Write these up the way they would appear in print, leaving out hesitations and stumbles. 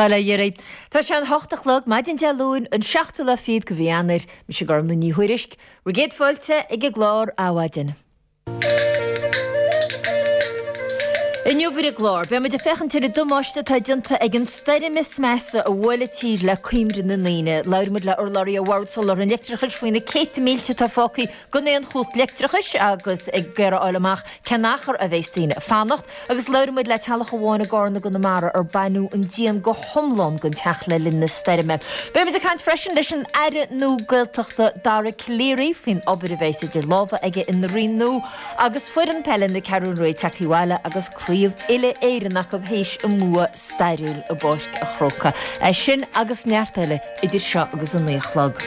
Bail ó Dhia oraibh. Tá sé an hocht a chlog, maidin Dé Luain, an seachtú lá fichead de mhí Eanáir. Mise Gormlaith Ní Thuairisg. Bhur gcéad fáilte ag an gclár Adhmhaidin. Inniu ar an gclár, beidh muid ag féachaint ar an damáiste atá déanta ag an stoirm is measa a bhuail an tír le cuimhne na ndaoine. Labhróidh muid le urlabhraí ó Bhord Soláthair an Leictreachais faoi na céadta mílte atá fágtha gan aon chumhacht leictreachais agus ag iarraidh a fháil amach cén achar a bheas daoine ag fanacht. Agus labhróidh muid le teaghlach amháin i gCarna i gConamara ar baineadh an díon go hiomlán den teach le linn na stoirme. Beidh muid ag caint freisin leis an Aire nua Gaeltachta Dara Calleary faoin obair a bheas idir lámha aige ina roinn nua agus foireann peile na Ceathrún Rua tagtha abhaile agus craobh uile-Éireann acu théis a mbua stairiúil i bPáirc a' Chrócaigh. É sin agus neart eile idir seo agus a 9 a chlog.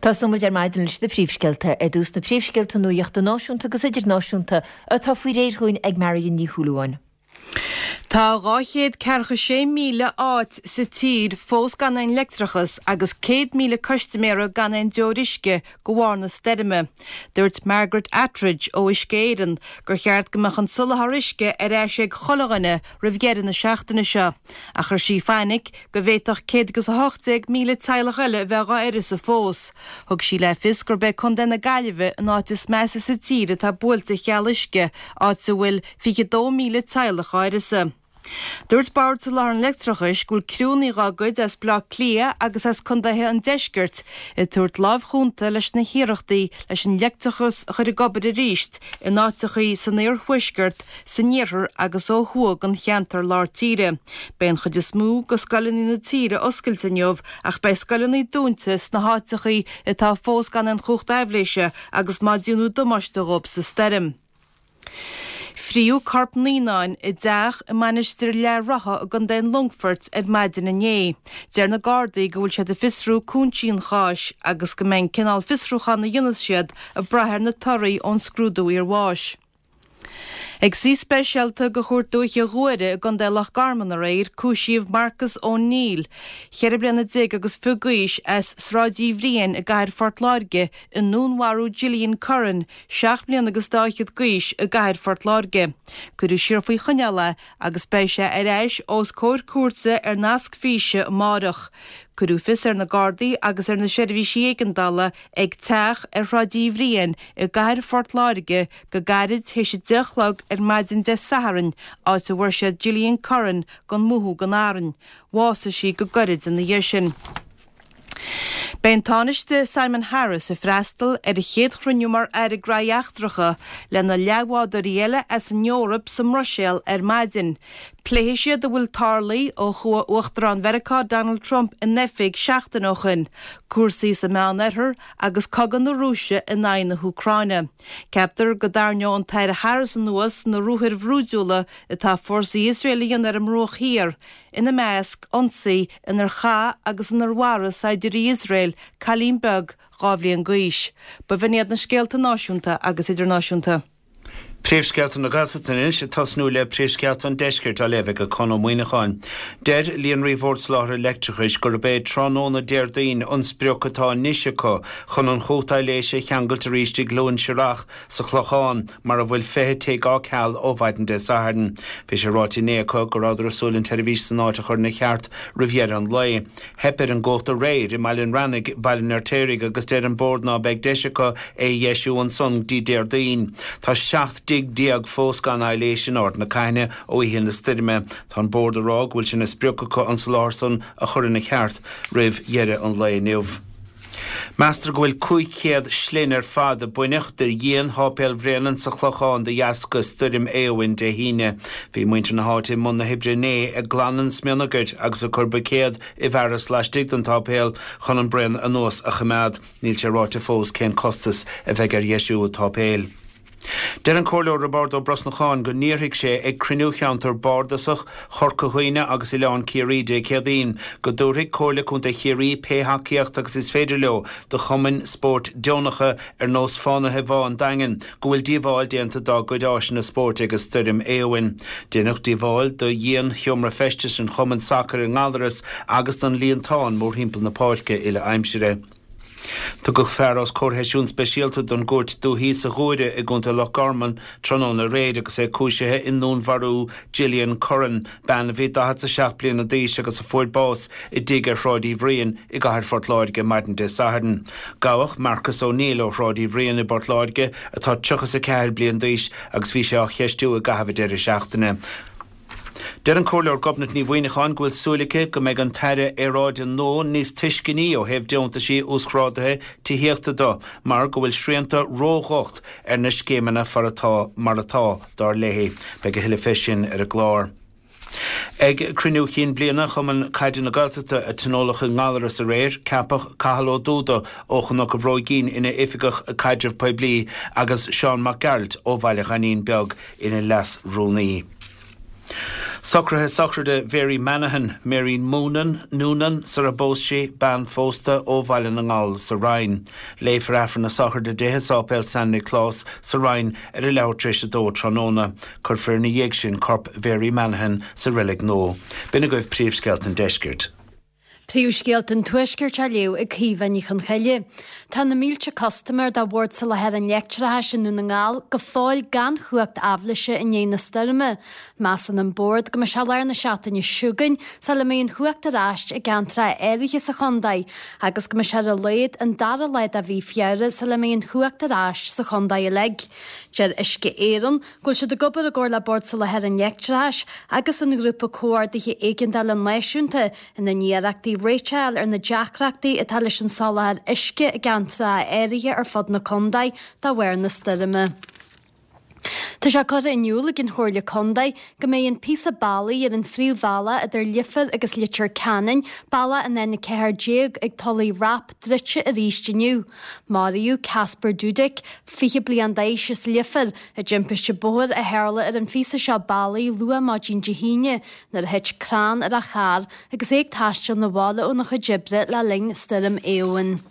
Tosóidh muid ar maidin leis na príomhscéalta. Ar dtús na príomhscéalta nuachta náisiúnta agus idirnáisiúnta atá faoi réir dhúinn ag Marion Ní Shúilleabháin. Tá 246,000 áit sa tír fós gan aon leictreachas agus 100,000 custaiméara gan aon deoir uisce de bharr na stoirme. Dúirt Margaret Attridge ó Uisce Éireann gur cheart go mbeadh an soláthar uisce ar ais ag chuile dhuine roimh dheireadh na seachtaine seo, ach chuir sí fainic go bhféadfadh 118,000 teaghlach eile a bheith dhá uireasa fós. Thug sí le fios gurb é Contae na Gaillimhe an áit is measa sa tír atá buailte cheal uisce, áit a bhfuil 22,000 teaghlach dhá uireasa. Dúirt Bord Soláthair an Leictreachais go bhfuil criúnna dhá gcuid as Baile Átha Cliath agus as contaetha an deiscirt ag tabhairt láimh chúnta leis na hiarrachtaí leis an leictreachas a chur ag obair arís in áiteachaí san iarthuaisceart, san iarthar agus ó thuaidh den cheantar lár tíre. Beidh an chuid is mó de scoileanna na tíre oscailte inniu ach beidh scoileanna dúnta sna háiteachaí atá fós gan aon chumhacht aibhléise agus má déanadh damáiste dhóibh sa stoirm. Fríodh corp naíonáin i dteach i Mainistir Leath Rotha i gContae an Longfoirt ar maidin inné. Deir na Gardaí go bhfuil siad ag fiosrú cúinsí an cháis agus go mbeidh an cineál fiosrúcháin a dhéanfas siad ag brath ar na torthaí ón scrúdú iarbháis. Ag suí speisialta de Chúirt Dúiche Ghuaire i gContae Loch Garman aréir, cúisíodh Marcus O'Neill, 14 bliana agus fiche d'aois, as Sráid Uí Bhriain i gcathair Phort Láirge, i ndúnmharú Gillian Curran, 7 mbliana agus dá fhichead d'aois, i gcathair Phort Láirge. Cuireadh siar faoi choinneáil é agus beidh sé ar ais os comhair cúirte ar nasc físe amáireach. Cuireadh fios ar na Gardaí agus ar na seirbhísí éigeandála ag teach ar Shráid Uí Bhriain i gcathair Phort Láirge go gairid théis a 10 a chlog ar maidin Dé Sathairn, áit a bhfuair siad Gillian Curran gan mothú gan arraing. Bhásaigh sí go gairid ina dhiaidh sin. Beidh an Tánaiste Simon Harris ag freastal ar a chéad chruinniú mar Aire Graithí Eachtracha lena leathbhádóirí eile as an Eoraip sa mBruiséil ar maidin. Pléifidh siad a bhfuil tarlaithe ó chuaigh Uachtarán Mheiriceá Donald Trump in oifig seachtain ó shin, cúrsaí sa Meánoirthear agus cogadh na Rúise in aghaidh na hÚcráine. Ceaptar go dtarraingeoidh an tAire Harris anuas na ruathair bhrúidiúla atá fórsaí Iosrael a dhéanamh ar an mBruach Thiar, ina measc, ionsaí inar chaith agus inar mharaigh saighdiúirí Iosrael cailín beag 2 bhliain d'aois. B'in iad na scéalta náisiúnta agus idirnáisiúnta. Príomhscéalta na Gaeltachta anois, ag tosnú le príomhscéalta an Deiscirt á léamh ag Conn Ó Muíneacháin. Deir Líonraí Bhord Soláthair Leictreachais gurb é tráthnóna Déardaoin an sprioc atá anois acu chun an chumhacht aibhléise a cheangailt arís i gCluain Searrach sa Chlochán mar a bhfuil 20 tigh á ceal ó mhaidin Dé Sathairn. Bhí sé ráite inné acu go rabhadar ag súil an tseirbhís san áit a chur ina cheart roimh dheireadh an lae. Theip ar an gcumhacht aréir i mBaile an Reannaigh, Baile an Fheirtéaraigh agus deir an Bord ná beidh deis acu é a dheisiú ansan go dtí Déardaoin. Tá 17 dtigh fós gan aibhléis in Ard na Caithne ó oíche na stoirme. Tá an Bord ag rá go bhfuil sé ina sprioc acu an soláthar san a chur ina cheart roimh dheireadh an lae inniu. Meastar go bhfuil 500 slinn ar fad a baineadh de dhíon Sháipéal Bhréanainn sa Chlochán de dheasca Stoirm Éowyn Dé hAoine. Bhí muintir na háite i mbun na hoibre inné ag glanadh an smionagair agus ag cur buicéad i bhfearas laistigh den tsáipéal chun an braon anuas a choimeád. Níl sé ráite fós cén costas a bheidh ar dheisiú an tsáipéil. Deir an Comhairleoir Roibeárd Ó Brosnacháin go n-iarrfaidh sé ag cruinniú cheantar bardasach Chorca Dhuibhne agus Oileán Ciarraí Dé Céadaoin go dtabharfaidh Comhairle Contae Chiarraí pé thacaíocht agus is féidir leo do chumainn spóirt deonacha ar nós Fánaithe Bhá an Daingin go bhfuil díobháil déanta dá gcuid áiseanna spóirt ag an stoirm Éowyn. Deineadh díobháil do dhíon sheomra feistis an chumainn sacair i nGallaras agus don líontán mórthimpeall na páirce uile aimsire. Tugadh fear os comhair sheisiún speisialta don gCúirt Dúichí sa Ghuaire i gContae Loch Garman tráthnóna aréir agus é cúisithe i ndúnmharú Gillian Curran, bean a bhí 47 bliana d'aois agus a fuair bás i dtigh ar Shráid Uí Bhriain i gcathair Phort Láirge maidin Dé Sathairn. Gabhadh Marcus O'Neill ó Shráid Uí Bhriain i bPort Láirge atá 34 bliain d'aois agus bhí sé á cheistiú i gcaitheamh an deireadh seachtaine. Deir an Comhairleoir Gobnait Ní Mhuineacháin go bhfuil súil aici go mbeidh an tAire Aeráide nua níos tuisceanaí ó thaobh deontaisí uasghrádaithe tithíochta de mar go bhfuil srianta ródhocht ar na scéimeanna far atá mar atá, dar léi. Beidh a thuilleadh fé sin ar an gclár. Ag cruinniú chinn bliana Chumann Caide na Gaeltachta a tionóladh i nGallaras aréir, ceapadh Cathal Ó Dúda ó Chnoc an Bhróigín ina Oifigeach Caidrimh Poiblí agus Seán Mac Gearailt ó Bhaile Ghainín Beag ina Leas-Rúnaí. Socruithe sochraide Mhary Manahan, Mary Moonan, Noonan, sar a bpós sí, bean phósta ó Bhaile na nGall sa Rinn. Léifear Aifreann na sochraide di i Sáipéal San Nioclás sa Rinn ar a leathuair tar éis a dó tráthnóna. Cuirfear ina dhiaidh sin corp Mhary Manahan sa reilig nua. B'in agaibh príomhscéalta an deiscirt. Príomhscéalta an Tuaiscirt á léamh ag Caoimhe Ní Chonchoille. Tá na mílte custaiméir de Bhord Soláthair an Leictreachais i nDún na nGall go fóill gan chumhacht aibhléise i ndiaidh na stoirme. Measann an Bord go mbeidh sé lár na seachtaine seo chugainn sula mbeidh an chumhacht ar ais i gceantracha áirithe sa chontae agus go mbeidh sé ar a laghad an dara lá de mhí Feabhra sula mbeidh an chumhacht ar ais sa chontae uilig. Deir Uisce Éireann go bhfuil siad ag obair i gcomhar le Bord Soláthair an Leictreachais agus an Ghrúpa Comhordaithe Éigeandála Náisiúnta ina n-iarrachtaí réiteach a fháil ar na deacrachtaí atá leis an soláthar uisce i gceantracha áirithe ar fud na contae de bharr na stoirme. Tá sé curtha in iúl ag an Chomhairle Contae go mbeidh an píosa bealaigh ar an phríomhbhealach idir Leifear agus Leitir Ceanainn, bealach an N14, ag Tulaigh Rap druidte arís inniu. Maraíodh Kacper Dudek, 20 bliain d'aois as Leifear, i dtimpiste bóthair a tharla ar an phíosa seo bealaigh luath maidin Dé hAoine nuair a thit crann ar a charr agus é ag taisteal 'na bhaile óna chuid oibre le linn Stoirm Éowyn.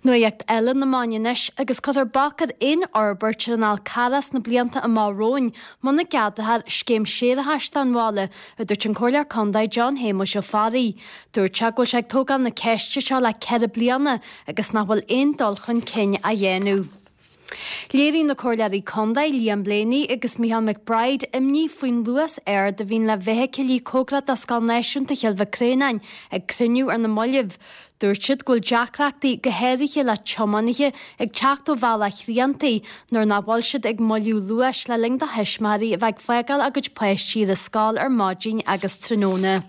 Nuacht eile na meáin anois agus cuirfear bac ar aon fhorbairt ar an Fhál Carrach sna blianta amach romhainn muna gceadófar scéim séarachais don bhaile, a dúirt an Comhairleoir Contae John Shéamuis Ó Fearraigh. Dúirt sé go bhfuil sé ag tógáil na ceiste seo le 4 bliana agus nach bhfuil aon dul chun cinn á dhéanamh. Léirigh na Comhairleoirí Contae, Liam Blaney agus Mícheál McBride imní faoin luas ard a bhíonn le feithicilí cóngarach do Scoil Náisiúnta Chill Mhic Réanáin ag cruinniú ar na mallaibh. Dúirt siad go bhfuil deacrachtaí, go háirithe le tiománaithe ag teacht ó Bhealach Chriantaigh nuair nach bhfuil siad ag moilliú luais le linn do thuismitheoirí a bheith ag fágáil a gcuid páistí ar an scoil ar maidin agus tráthnóna.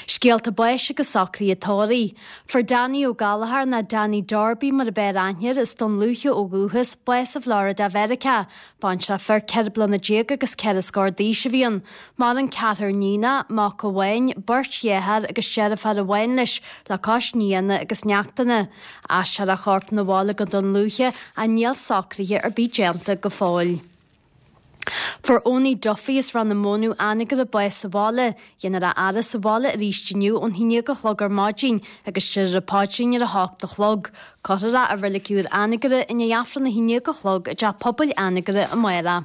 Scéalta báis agus socruithe tórraimh. Fuair Danny Ó Gallchóir, nó Danny Darby mar ab fhearr aithne air, as Dún Lúiche ó dhúchas, bás i bhFlorida Mheiriceá. Baintreach fir 14 bliana agus ceithre scór d'aois a bhí ann. Maireann ceathrar níonach, mac amháin, beirt dhearthár agus deirfiúr amháin leis, le cois nianna agus neachtanna. Aistreofar a chorp 'na bhaile go Dún Lúiche ach níl socruithe ar bith déanta go fóill. Fuair Owenie Duffy as Ráth na Mónadh Anagaire bás sa bhaile. Déanfar a fhaire sa bhaile arís inniu ón 11 a chlog ar maidin agus déarfar an paidrín ar a hocht a chlog. Cuirfear é i Reilig Úr Anagaire i ndiaidh Aifreann a 11 a chlog i dTeach Pobail Anagaire amárach.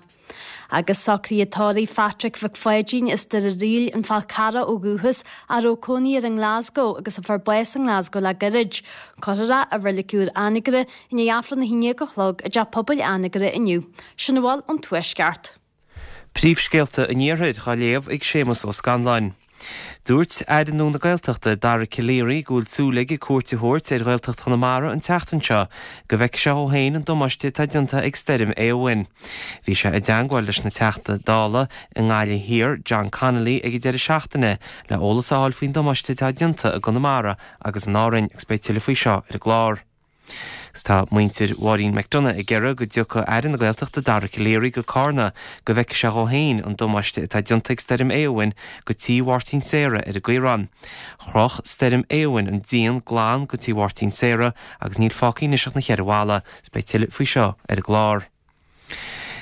Agus socruithe tórraimh Phatrick Mhic Pháidín as Doire Ríl, An Fál Carrach ó dhúchas, a raibh cónaí air i nGlasgow agus a fuair bás i nGlasgow le gairid. Cuirfear é i Reilig Úr Anagaire I ndiaidh Aifreann a 11 a chlog i dTeach Pobail Anagaire inniu. Sin a bhfuil ón Tuaisceart. Príomhscéalta an Iarthair á léamh ag Séamus Ó Scanláin. Dúirt Aire nua na Gaeltachta, Dara Calleary, go bhfuil súil aige cuairt a thabhairt ar Ghaeltacht Chonamara an tseachtain seo go bhfeicfidh sé dhó féin an damáiste atá déanta ag Stoirm Éowyn. Bhí sé i dteangmháil leis an Teachta Dála i nGaillimh Thiar, John Connolly, ag an deireadh seachtaine le eolas a fháil faoin damáiste atá déanta i gConamara agus in Árainn agus beidh tuilleadh faoi seo ar an gclár. Agus tá muintir Mháirín McDonagh ag iarraidh go dtiocfadh Aire na Gaeltachta Dara Calleary go Cárna go bhfeicfidh sé dhó féin an damáiste atá déanta ag Stoirm Éowyn go tí Mháirtín Sarah ar an gCaorán. Chroch Stoirm Éowyn an díon glan go tí Mháirtín Sarah agus níl fágtha anois ach na cheithre bhalla. Is beidh tuilleadh faoi seo ar an gclár.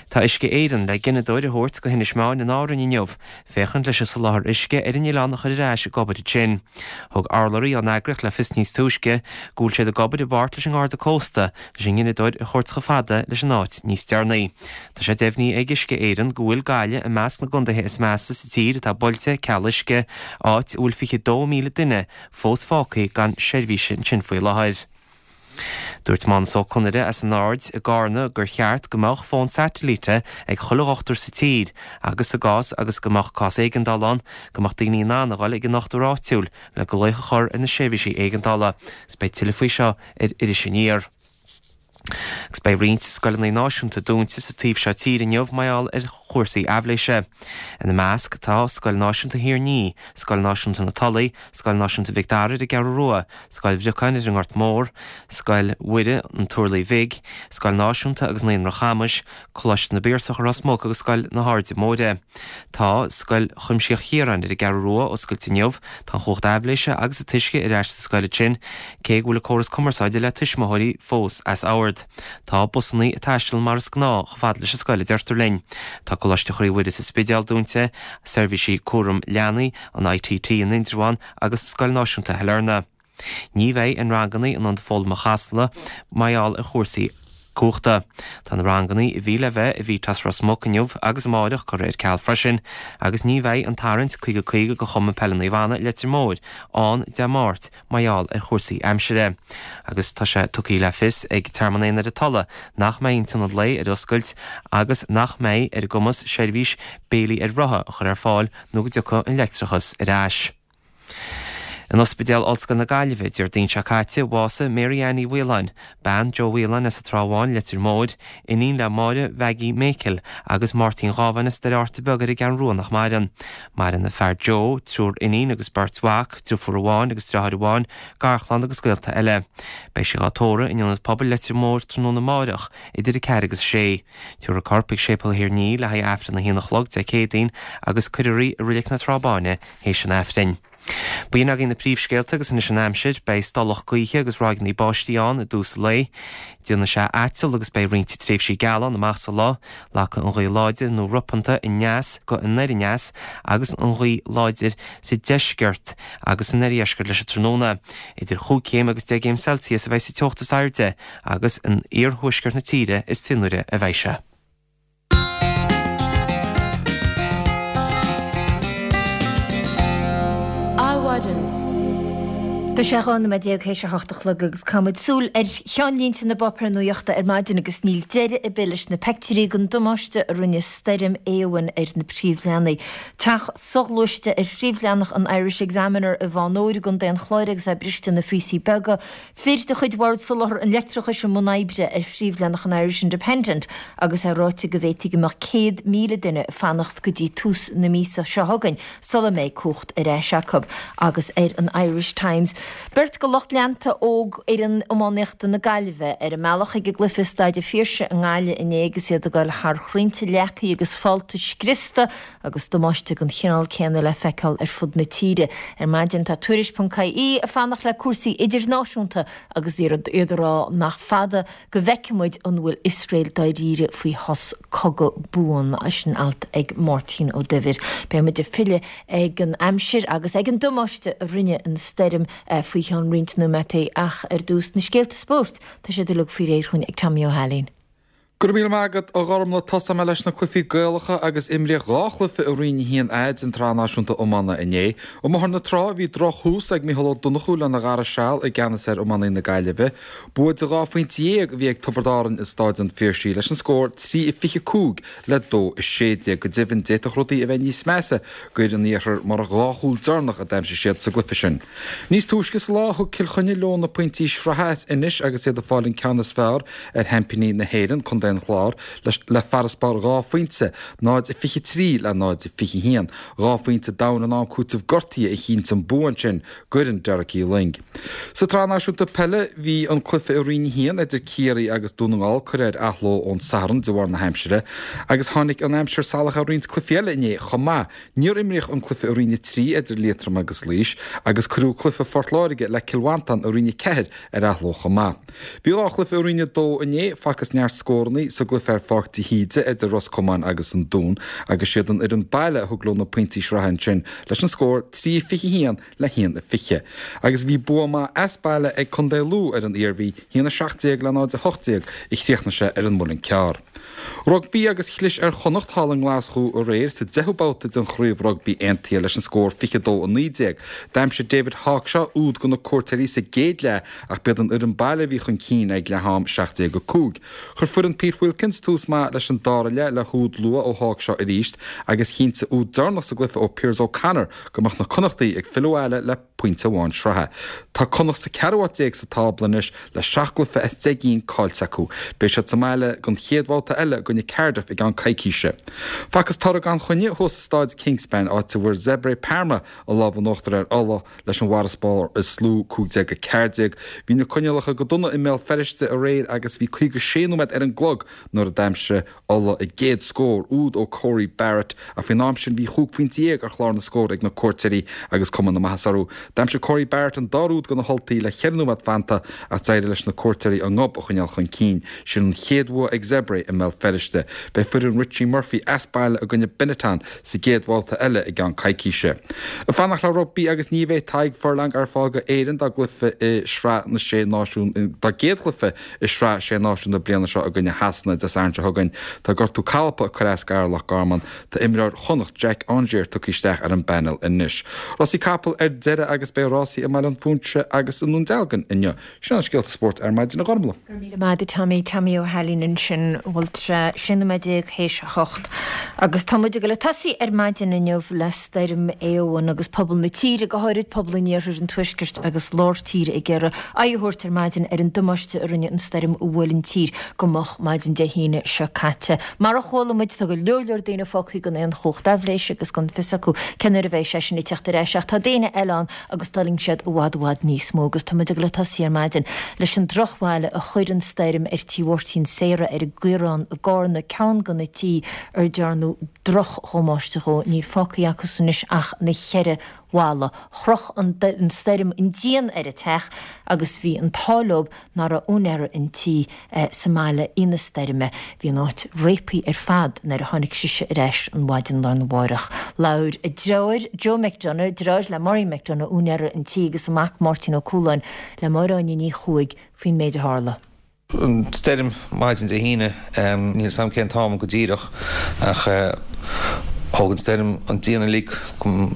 Tá Uisce Éireann le gineadóir a thabhairt go hInis Meáin in Árainn inniu, féachaint leis an soláthar uisce ar an oileán a chur ar ais ag obair ansin. Thug urlabhraí ón eagraíocht le fios níos túisce go bhfuil siad ag obair i bpáirt leis an nGarda Cósta leis an ngineadóir a thabhairt chomh fada leis an áit níos deireanaí. Tá sé deimhnithe ag Uisce Éireann go bhfuil Gaillimh i measc na gcontaetha is measa sa tír atá buailte ceal uisce, áit a bhfuil 22,000 duine fós fágtha gan seirbhís ansin faoi láthair. Dúirt Mánus Ó Conaire as an Aird i gCarna gur cheart go mbeadh fón satailíte ag chuile dhochtúir sa tír agus sa gcás agus go mbeadh cás éigeandála ann go mbeadh daoine in ann a dhul ag an ndochtúir áitiúil le glaoch a chur ar na seirbhísí éigeandála. Agus beidh tuilleadh faoi seo ar Iris Aniar. Agus beidh roinnt scoileanna náisiúnta dúnta sa taobh seo tíre inniu mar gheall ar chúrsaí aibhléise. Ina measc tá Scoil Náisiúnta Thír an Fhia, Scoil Náisiúnta na Tulaí, Scoil Náisiúnta Mhic Dara ar an gCeathrú Rua, Scoil Bhriocáin ar an nGort Mór, Scoil Mhuire an Turlaigh Bhig, Scoil Náisiúnta agus Naíonra Chamais, Coláiste na bPiarsach i Ros Muc agus Scoil na hAirde Móire. Tá Scoil Chuimsitheach Chiaráin ar an gCeathrú Rua oscailte inniu. Tá an chumhacht aibhléise agus an t-uisce ar ais sa scoil ansin, cé go bhfuil an córas cumarsáide le tuismitheoirí fós as ord. Tá busannaí ag taisteal mar is gnáth chomh fada leis an scoil a deirtear linn. Tá Coláiste Chroí Mhuire sa Spidéal dúnta, seirbhísí cúram leanaí, an ITT in Indreabhán agus Scoil Náisiúnta Shailearna. Ní bheidh aon rangannaí in Ionad Foghlama Chasla mar gheall ar chúrsaí cumhachta. Tá na rangannaí a bhí le bheith i VTAS Ros Muc inniu agus amáireach curtha ar ceal freisin agus ní bheidh an tarraingt 50 50 do Chumann Peile Naomh Anna i Leitir Móir ann Dé Máirt mar gheall ar chúrsaí aimsire. Agus tá sé tugtha le fios ag Tearmann Éan ar an Tulaigh nach mbeidh an t-ionad lae ar oscailt agus nach mbeidh ar a gcumas seirbhís béilí ar rotha a chur ar fáil nó go dtiocfaidh an leictreachas ar ais. In Ospidéal Ollscoil na Gaillimhe, Déardaoin seo caite, bhásaigh Mary Ann Ní Mhaoláin, bean Joe Whelan as an Trá Bháin, Leitir Móir, iníon le Máire Mhaggie Mhichíl agus Máirtín Dhábháin as Doire Fhatharta Beag ar an gCeathrú Rua nach maireann. Maireann a fear Joe, triúr iníon agus beirt mhac, driofúr amháin agus deartháir amháin, garchlann agus gaolta eile. Beidh sí dhá tórramh in Ionad Pobail Leitir Móir tráthnóna amáireach idir 4 agus 6. Tabharfar a corp chuig Séipéal Thír an Fhia le haghaidh Aifreann a haon a chlog Dé Céadaoin agus cuirfear í i Reilig na Trá Báine théis an Aifrinn. B'in againn na príomhscéalta agus anois an aimsir. Beidh stolladh gaoithe agus ráigeanna báistí ann i dtús an lae. Déanfaidh sé aiteal agus beidh roinnt tréimhsí geala ann amach sa lá. Lagfaidh an ghaoth láidir nó ropanta aneas go anoir aneas agus an ghaoth láidir sa deisceart agus san oirdheisceart leis an tráthnóna. Idir chúig chéim agus 10 gcéim Celsius a bheidh sa teocht is airde agus in iarthuaisceart na tíre is fionnuaire a bheidh sé. Adhmhaidin. Tá sé 12 nóiméad théis a hocht a chlog agus caithfidh muid súil ar cheannlínte na bpáipéar nuachta ar maidin agus níl deireadh ar bith leis na peictiúirí den damáiste a rinne stoirm Éowyn ar na príomhleathanaigh. Teach soghluaiste ar phríomhleathanach an Irish Examiner i bhFánóir i gContae an Chláir agus é briste ina phíosaí beaga. Fir de chuid Bhord Soláthair an Leictreachais i mbun oibre ar phríomhleathanach an Irish Independent agus é ráite go bhféadfaí go mbeadh 100,000 duine ag fanacht go dtí tús na míosa seo chugainn sula mbeidh cumhacht ar ais acu. Agus ar an Irish Times, beirt de lucht leanta óg fhoireann iománaíochta na Gaillimhe ar a mbealach chuig an gcluiche i Staid an Phiarsaigh i nGaillimh inné agus iad ag dul thar chrainnte leagtha agus fálta scriosta agus damáiste den chineál céanna le feiceáil ar fud na tíre. Ar maidin tá Tuairisc ponc ie ag fanacht le cúrsaí idirnáisiúnta agus iad ag rá nach fada go bhfeicfidh muid an bhfuil Iosrael dáiríre faoi shos cogadh buan. Sin alt ag Máirtín Ó Duibhir. Beidh muid ag filleadh ag an aimsir agus ag an damáiste a rinne an stoirm faoi cheann roinnt nóimeataí ach ar dtús na scéalta spóirt, tá siad uilig faoi réir chugainn ag Tommy Ó hAilín. Go raibh míle maith agat, a Ghormlaith. Tosóidh mé leis na cluichí Gaelacha agus imríodh dhá chluiche i Roinn 1A den tSraith Náisiúnta Iomána inné. I mBóthar na Trá, bhí droch-thús ag Mícheál Ó Donnchú lena dhara seal i gceannas ar iománaí na Gaillimhe. Bua de dhá phointe dhéag a bhí ag Tiobraid Árann i Stáid an Phiarsaigh leis an scór 3-25 le 2-16. Go deimhin, d'fhéadfadh rudaí a bheith níos measa d'fhir an iarthair murach dhá chúl deireanach a d'aimsigh siad sa gcluiche sin. Níos túisce sa lá, thug Cill Chainnigh leo na pointí sraithe as Inis agus iad ag fáil an ceann is fearr ar sheaimpíní na hÉireann, Contae an Chláir, le farasbarr dhá phointe, 0-23 le 0-21. Dhá phointe domhain in am cúitimh gortaithe a chinntigh an bua ansin d'fhoireann Derek Uí Fhloinn. Sa tSraith Náisiúnta Peile, bhí an cluiche i Roinn 1 idir Ciarraí agus Dún na nGall curtha ar athló ón Satharn de bharr na haimsire agus tháinig an aimsir salach ar roinnt cluichí eile inné chomh maith. Níor imríodh an cluiche i Roinn 3 idir Liatroim agus Laois agus cuireadh cluiche Phort Láirge le Cill Mhantáin i Roinn 4 ar athló chomh maith. Bhí dhá chluiche i Roinn 2 inné, facthas neart scóranna. gcónaí sa gcluiche ar Pháirc de hÍde idir Ros Comáin agus an Dún agus siad an fhoireann baile a thug leo na pointí sraithe ansin leis an scór 3-21 le 1-20. Agus bhí bua maith as baile ag Contae Lú ar an Iarmhí, 1-17 le 0-18 a chríochnaigh sé ar an Muileann Cearr. Rugbaí agus chlis ar Chonnacht thall i nGlaschú aréir sa deichiú babhta den Chraobh Rugbaí Aontaithe leis an scór 22-19. D'aimsigh David Hawkshaw úd do na cuairteoirí sa gcéad leath ach b'iad an fhoireann baile a bhí chun cinn ag leath am, 17-5. Chuir foireann Pete Wilkins tús maith leis an dara leath le húd luath ó Hawkshaw arís agus chinntigh úd deireanach sa gcluiche ó Piers O'Conor go mbeadh na Connachtaigh ag filleadh abhaile le pointe amháin sraithe. Tá Connacht sa ceathrú háit déag sa tábla anois le seacht gcluiche as 10 gcinn caillte acu. Beidh siad sa mbaile don chéad bhabhta eile i gcoinne Cardiff i gceann coicíse. Facthas toradh gan choinne thuas i Stáid Kingspan áit a bhfuair Zebre Parma an lámh in uachtar ar Ulaidh leis an bhfarasbarr is lú, 15-14. Bhí na coinníollacha go dona i mBéal Feirste aréir agus bhí 56 nóiméad ar an gclog nuair a d'aimsigh Ulaidh a gcéad scór, úd ó Corey Barrett, ach faoin am sin bhí chúig phointe dhéag ar chlár na scór ag na cuairteoirí agus cuma na maitheasa orthu. D'aimsigh Corey Barrett an dara úd do na hUltaigh le cheithre nóiméad fanta ach d'éirigh leis na cuairteoirí a ngob a choinneáil chun cinn. Sin an chéad bhua ag Zebre i mBéal Feirste. Beidh foireann Richie Murphy as baile i gcoinne Benetton sa gcéad bhabhta eile i gceann coicíse. Ag fanacht le rugbaí agus ní bheidh Tadhg Furlong ar fáil go Éirinn dá gcluiche i Sraith na Sé Náisiún, dá gcéad chluiche i Sraith Sé Náisiún na bliana seo i gcoinne Shasana Dé Sathairn seo chugainn. Tá gortú colpa ag cur as d'fhear Loch Garman. Tá imreoir Chonnacht, Jack Aungier, tugtha isteach ar an bpainéal anois. Rásaí capall ar deireadh agus beidh rásaí i mBaile an Phúinse agus i nDún Dealgan inniu. Sin iad na scéalta spóirt ar maidin, a Ghormlaith. Go raibh míle maith agat Tommy, Tommy Ó hAilín ansin, bhfuil sé 16 nóiméad théis a hocht. Agus tá muid ag dul ag tosaí ar maidin inniu le stoirm Éowyn agus pobal na tíre, go háirid pobal an iarthair, an tuaiscirt agus lár tíre ag iarraidh aghaidh a thabhairt ar maidin ar an damáiste a rinne an stoirm a bhuail an tír go moch maidin Dé hAoine seo caite. Mar a chuala muid, tá go leor leor daoine fágtha gan aon chumhacht aibhléise agus gan fios acu cén uair a bheidh sé sin ag teacht ar ais ach tá daoine eile ann agus d'fhulaing siad i bhfad i bhfad níos mó agus tá muid ag dul ag tosaí ar maidin leis an drochbhail a chuir an stoirm ar tí Mháirtín Sarah ar an gCaorán i gCárna, ceann de na tithe ar dearnadh drochdhamáiste dhó. Níl fágtha acusan anois ach na cheithre bhalla. Chroch an stoirm an díon ar an teach agus bhí an t-ádh leo nach raibh úinéara an tí sa mbaile oíche na stoirme. Bhí an áit réabtha ar fad nuair a tháinig sise ar ais an mhaidin lá arna mháireach. Labhair a deartháir, Joe McDonagh, deartháir le Maureen McDonagh, úinéara an tí, agus a mac Máirtín Ó Cualáin le Máire Áine Ní Chuaig faoin méid a tharla. An stoirm maidin Dé hAoine, níl 'fhios a'm cén t-am go díreach ach thóg an stoirm an díon uilig go mo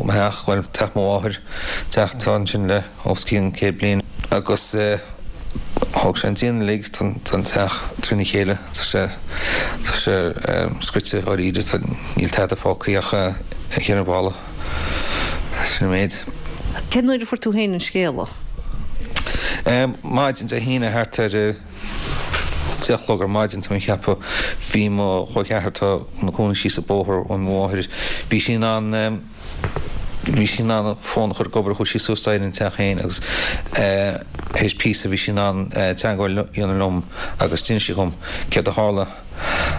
theach, bhuel teach mo mháthair, teach atá ansin le os cionn 100 bliain agus thóg sé an díon uilig, tá an teach trína chéile, tá sé, tá sé scoite dháiríre, tá, níl tada fágtha ach an cheithre bhalla. Sin an méid. Cén uair a fuair tú féin an scéala? Maidin Dé hAoine thart ar a deich a chlog ar maidin tá mé ag ceapadh. Bhí mo chol ceathar atá ina cónaí síos an bóthar ó mo mháthair, bhí sí in ann bhí sí in ann an fón a chur ag obair, chuaigh sí suas staighre an teach féin agus théis píosa bhí sí in ann teagmháil a dhéanamh liom agus d'inis sí dhom céard a tharla.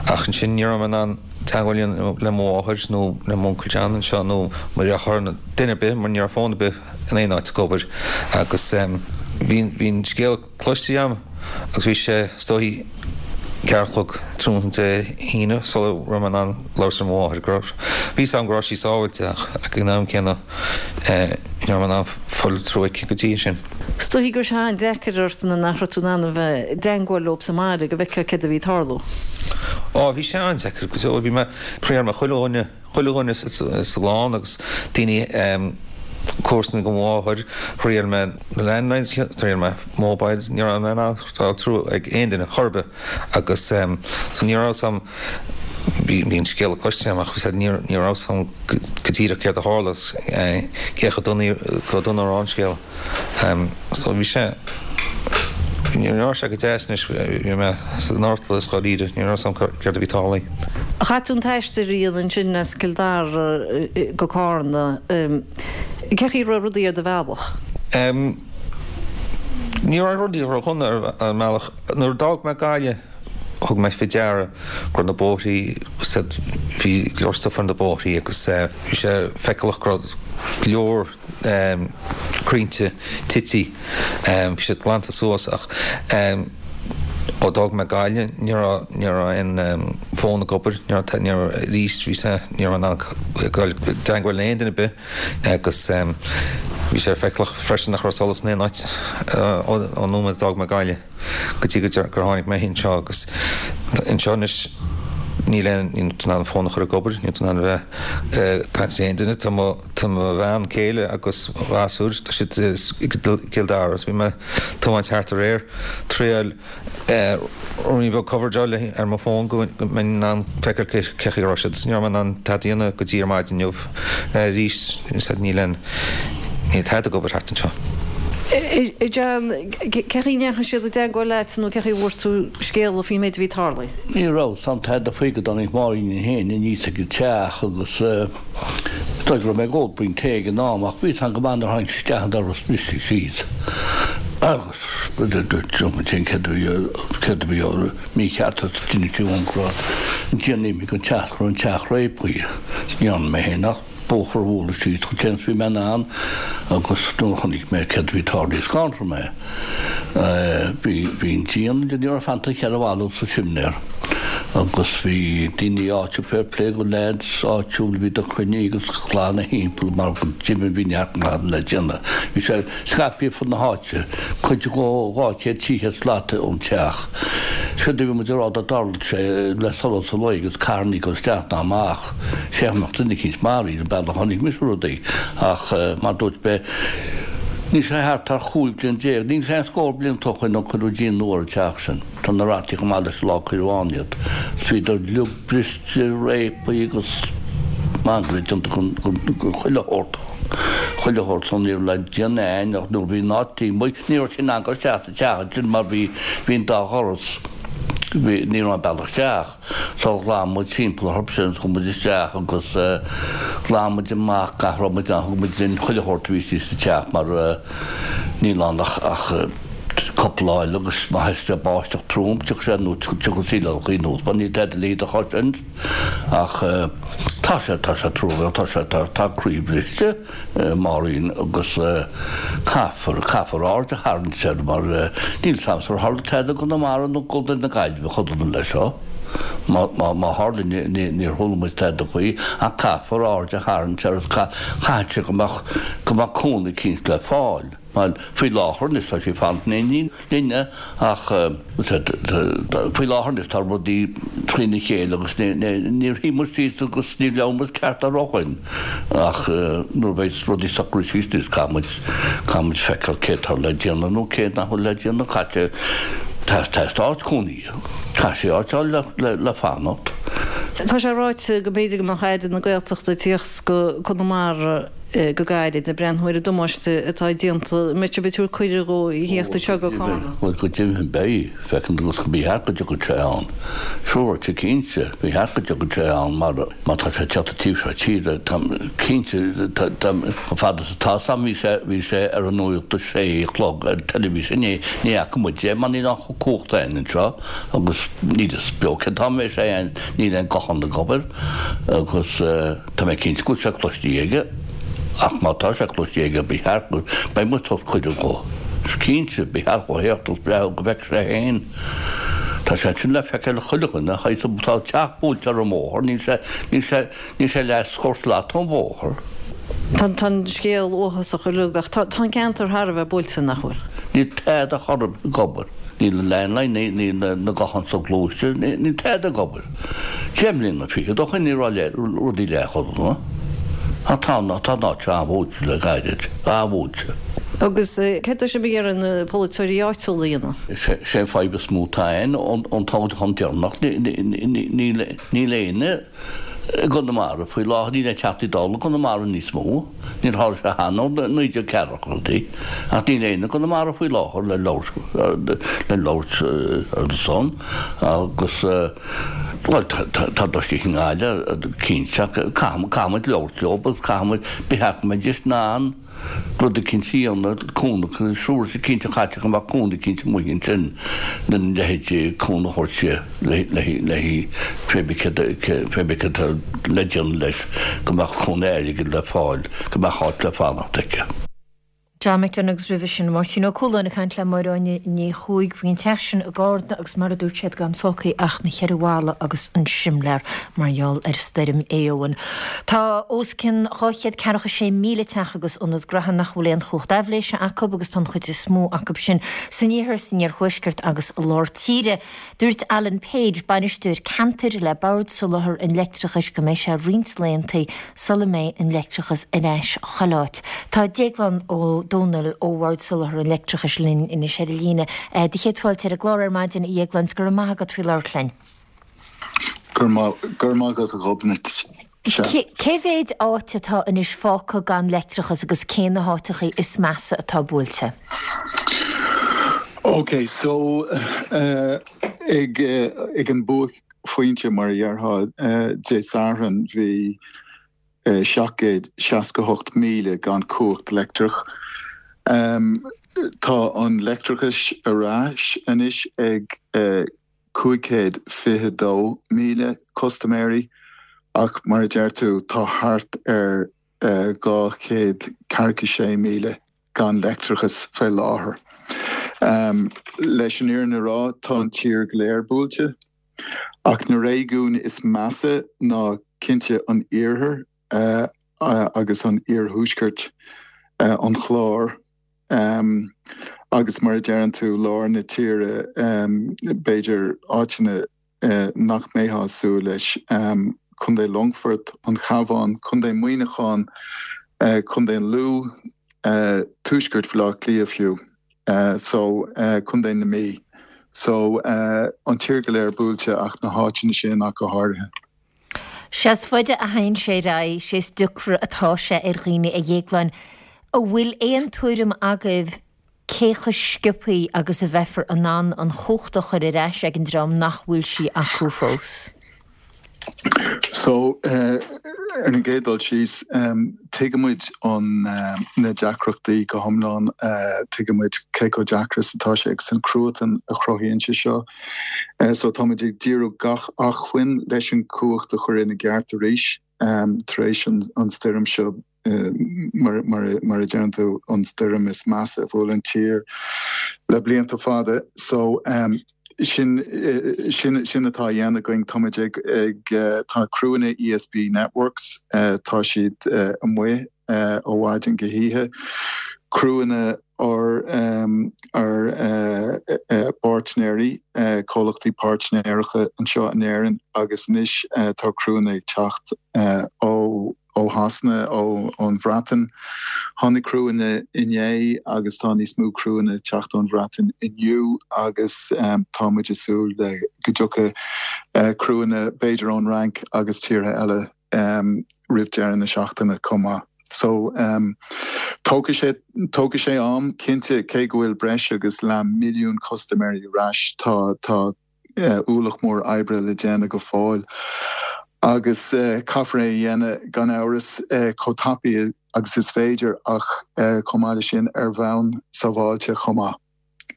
Ach ansin ní raibh mé in ann teagmháil a dhéanamh le mo mháthair nó le m'uncail John anseo nó mo dheartháir nó duine ar bith mar ní raibh fón ar bith in aon áit ag obair agus bhí bhí an scéal cloiste agam agus bhí sé is dóichí ceathair a chlog tráthnóna Dé hAoine sula raibh mé in ann labhairt le mo mháthair go raibh bhí 'fhios agam go raibh sí sábháilte ach ag an am céanna ní raibh mé in ann fáil through aici go dtí sin. Is dóichí go raibh sé an-deacair ort nuair nach raibh tú in ann a bheith i dteangmháil leo sa mbaile go bhfeicfeá céard a bhí ag tarlú. Á, bhí sé an-deacair go deo. Bhí mé, thriail mé chuile dhuine, chuile dhuine sa gclann agus daoine, comharsana go mo mháthair, thriail mé na landlines, thriail mé mobiles, ní raibh mé in ann fáil through ag aon duine chor ar bith agus so ní raibh 'fhios a'm, bhí an scéala cloiste agam ach ní raibh 'fhios a'm go díreach céard a tharla agus cé chomh dona a raibh an scéal. So bhí sé, ní raibh sé go deas anois, bhí mé san fhortalas dháiríre, ní raibh 'fhios a'm céard a bhí tarlaithe. Chaith tú an t-aistear a dhéanamh ansin as Cill Dara go Cárna, cé chaoi a raibh rudaí ar do bhealach? Ní raibh rudaí ródhona ar an mbealach. Nuair a d'fhág mé Gaillimh, Thug mé faoi deara go raibh na bóithrí, bhí go leor stuif ar na bóithrí agus bhí sé feiceálach go raibh go leor crainnte tite, bhí siad glanta suas ach. Ó d'fhág mé Gaillimh ní raibh, ní raibh aon fón ag obair, ní raibh, ní raibh, arís bhí sé, ní raibh in ann dul i dteangmháil le aon duine ar bith agus bhí sé feiceálach freisin nach raibh solas in aon áit ón nóiméad a d'fhág mé Gaillimh go dtí gur tháinig mé anseo agus anseo anois níl aon, níl tú in ann an fón a chur ag obair, níl tú in ann a bheith ag caint le aon duine, tá mo, tá mo bhean céile agus mo ghasúir, tá siad i gCill Dara agus bhí mé ag tiomáint thart aréir, triail ruainnín beag coverage a fháil ar mo fón go mbeinn in ann feiceáil cé chaoi a raibh siad. Ní raibh mé in ann tada a dhéanamh go dtí ar maidin inniu arís. Níl aon, níl tada ag obair thart anseo. A John, cé chaoi a ndeachaigh siad i dteagmháil leat nó cé chaoi a bhfuair tú scéala faoin méid a bhí tarlaithe? Ní raibh 'fhios a'm tada faoi go dtáinig Máirín féin aníos ag an teach agus Is dóigh go raibh mé ag ól braon tae ag an am ach bhí 'fhios a'm go maith nuair a tháinig sí isteach an doras briste síos agus dúirt muid féin céard a bhí céard a bhí mícheart agus d'inis sí dhom go raibh an díon imithe den teach go raibh an teach réabtha. Ní dhearna mé féin ach bóthar a bhualadh síos chomh tinn is bhí mé in ann agus nuair a chonaic mé céard a bhí tarlaithe scanraigh mé. Bhí bhí an díon ní raibh fanta ach cheithre bhalla sa simléar agus bhí daoine áitiúil fair play go leaids áitiúil bhíodar cruinnithe agus glanadh thimpeall mar go deimhin bhí neart glanadh le déanamh. Bhí sé scaipthe fud na háite, cuid de 200, 300 slata ón teach. Séard a bhí muid a rá dá dtarlódh sé le solas an lae agus carrannaí ag dul isteach ná amach, sé go mbeadh duine eicínt maraithe an bealach a chonaic mise rudaí ach mar dúirt mé níl sé thart ach 15 bliain, níl sé aon scór blianta ó shoin ó cuireadh díon nua ar an teach sin. Tá na rataí chomh maith leis an lá a cuireadh ann iad. Bhíodar uilig briste, réabtha agus mangaire déanta den chuile shórt, chuile shórt so ní raibh le déanamh a'inn ach nuair a bhí an áit amuigh, ní raibh sé in ann dul isteach sa teach ansin mar bhí, bhí an dá dhoras, bhí, ní raibh aon bealach isteach. So ghlan muid timpeall orthu sin, chuaigh muid isteach agus ghlan muid amach gach a raibh muid in ann, thug muid linn chuile shórt a bhí istigh sa teach mar níl ann ach ach cúpla lá eile agus má thosaíos sé báisteach trom tiocfaidh sé anuas, tiocfaidh an saol ar chaoi anuas mar níl tada le iad a chur sin ach tá sé, tá sé truamhéalach, tá sé, tá, tá croí briste. Máirín, Agus caithfear, caithfear aird a tharraingt air mar níl 'fhios a'msa ar tharla tada i gConamara nó i gContae na Gaillimhe chomh dona leis seo. Má, má, má tharla ní, ní, níor chuala muid tada faoi ach caithfear aird a tharraingt air agus caithfidh sé go mbeadh, go mbeadh cúnamh eicínt le fáil. Bhuel, faoi láthair anois tá sí ag fanacht in éindí linne ach faoi láthair anois tá rudaí trína chéile agus níor shuigh muid síos agus níor labhair muid ceart air ó shoin ach nuair a bheidh rudaí socraithe síos anois caithfidh muid caithfidh muid feiceáil cé atá le déanamh nó cé nach bhfuil le déanamh. Caithfidh sé tá áit cónaí, caithfidh sí áit a fháil le fanacht. Tá sé ráite go mb'fhéidir go mbeadh Aire na Gaeltachta ag tíocht go Conamara go gairid, ag breathnú ar an damáiste atá déanta. An mbeidh sibh ag tabhairt cuireadh dhó a thíocht anseo go Carna? Bhuel, go deimhin beidh. Feiceann tú agus ba cheart go dtiocfadh sé ann. Siúráilte cinnte, ba cheart go dtiocfadh sé ann mar má tá sé ag teacht an taobh seo tíre, táim cinnte, chomh fada is atá 'fhios a'm, bhí sé, bhí sé ar an nuacht a sé a chlog ar an teilifís inné, ní fhaca muid é mar níl aon chumhacht a'inn anseo agus níl 'fhios beo cén t-am a bheidh sé a'inn, níl aon guthán ag obair agus. Tá mé cinnte go bhfuil sé cloiste aige, ach má tá sé cloiste aige, ba cheart go, beidh muid ag tabhairt cuireadh dhó. Is cinnte, ba cheart dhó theacht agus breathnú go bhfeicfidh sé féin. Tá sé ansin le feiceáil ag chuile dhuine, tá an teach buailte ar an mbóthar, níl sé, níl sé, níl sé leathscór slat ón bhóthar. Tá an scéal uafásach uilig, ach tá an ceantar thar a bheith buailte, nach bhfuil? Níl tada chor ar bith ag obair. Níl an landline, níl na gutháin soghluaiste, níl tada ag obair. 10 mbliana fichead ó shoin ní raibh rudaí leath chomh dona. Ach tá an áit seo an-bhuailte le gairid, an-bhuailte. Agus céard tá sibh ag iarraidh na polaiteoirí áitiúla a dhéanamh? Sé an fadhb is mó atá ann ón toghchán deireanach, níl éinne i gConamara faoi láthair, níl aon Teachtaí Dála i gConamara níos mó. Níor tharla sé cheana ó 1940idí, ach níl éinne i gConamara faoi láthair le labhairt le labhairt ar a son agus bhuel tá istigh i nGaillimh cinnte ach caithfidh muid labhairt leo agus caithfidh muid ba cheart go mbeidís in ann rud eicínt a dhéanamh, cúnamh, siúráilte cinnte caithfidh go mbeadh cúnamh eicínt amuigh ansin lena leithéid cúnamh a thabhairt léi pé bith céard atá le déanamh leis, go mbeadh cúnamh airgid le fáil, go mbeadh áit le fanacht aici. John McDonagh agus roimhe sin Máirtín Ó Cualáin ag caint le Máire Áine Ní Chuaig faoin teach sin i gCarna agus mar a dúirt siad gan fágtha ach na cheithre bhalla agus an simléar mar gheall ar stoirm Éowyn. Tá os cionn 246,000 teach agus ionad graithe nach bhfuil aon chumhacht aibhléise acu agus tá an chuid is mó acu sin san iarthar, san iarthuaisceart agus i lár tíre. Dúirt Alan Page, bainisteoir ceantair le Bord Soláthair an Leictreachais go mbeidh sé roinnt laethanta sula mbeidh an leictreachas ar ais chuile áit. Tá Déaglán Ó Domhnaill ó Bhord Soláthair an Leictreachais linn anois ar an líne. Do chéad fáilte ar an gclár ar maidin, a Dhéagláin, 's go raibh maith agat faoi labhairt linn. Go raibh maith agat a Ghobnait. Sea. Cé mhéid áit atá anois fágtha gan leictreachas agus cé na háiteachaí is measa atá buailte? Ok, so ag ag an buaicphointe mar a dhéarfá Dé Sathairn bhí 768,000 gan cumhacht leictreach. Tá an leictreachas ar ais anois ag 522,000 custaiméirí ach mar a deir tú tá thart ar 246,000 gan leictreachas fé láthair. Leis an fhírinne a rá tá an tír go léir buailte ach na réigiúin is measa ná cinnte an iarthar agus an iarthuaiscirt, an Chlár. Agus mar a deireann tú, lár na tíre, b'fhéidir áiteanna nach mbeifeá ag súil leis, Contae Longfort, an Chabhán, Contae Muineacháin, Contae an Lú, tuaisceart Bhaile Átha Cliath fiú, so Contae na Mí. So an tír go léir buailte ach na háiteanna sin ach go háirithe. Sé is faide a théann sé ar aghaidh, sé is deacra atá sé ar dhaoine, a Dhéagláin. An bhfuil aon tuairim agaibh cé chomh sciobthaí agus a bheifear in ann an chumhacht a chur ar ais ag an dream nach bhfuil sí acu fós? So, ar an gcéad dul síos, tuigimid an, na deacrachtaí go hiomlán, tuigimid cé chomh deacair is atá sé agus an cruatan a chruthaíonn sé seo. So táimid ag díriú gach acmhainn leis an cumhacht a chur ina gceart arís tar éis an stoirm seo, mar a deireann tú, an stoirm is measa a bhuail an tír le blianta fada. So sin, sin, sin atá á dhéanamh againn. Táimid ag, ag, tá criúnna ESB Networks, tá siad amuigh ó mhaidin go hoíche, criúnna ár bpáirtnéirí, comhlachtaí páirtnéireacha anseo in Éirinn agus anois tá criúnna ag teacht ó Shasana, ón Bhreatain. Tháinig criúnna inné agus tá níos mó criúnna ag teacht ón Bhreatain inniu agus tá muid ag súil le go dtiocfaidh criúnna b'fhéidir ón Fhrainc agus tíortha eile. roimh deireadh na seachtaine chomh maith. So, tógfaidh sé, tógfaidh sé am, cinnte, cé go bhfuil breis agus leath milliún custaiméirí ar ais, tá, tá ualach mór oibre le déanamh go fóill agus caithfear é a dhéanamh, gan amhras, chomh tapaidh agus is féidir ach chomh maith leis sin ar bhonn sábháilte chomh maith.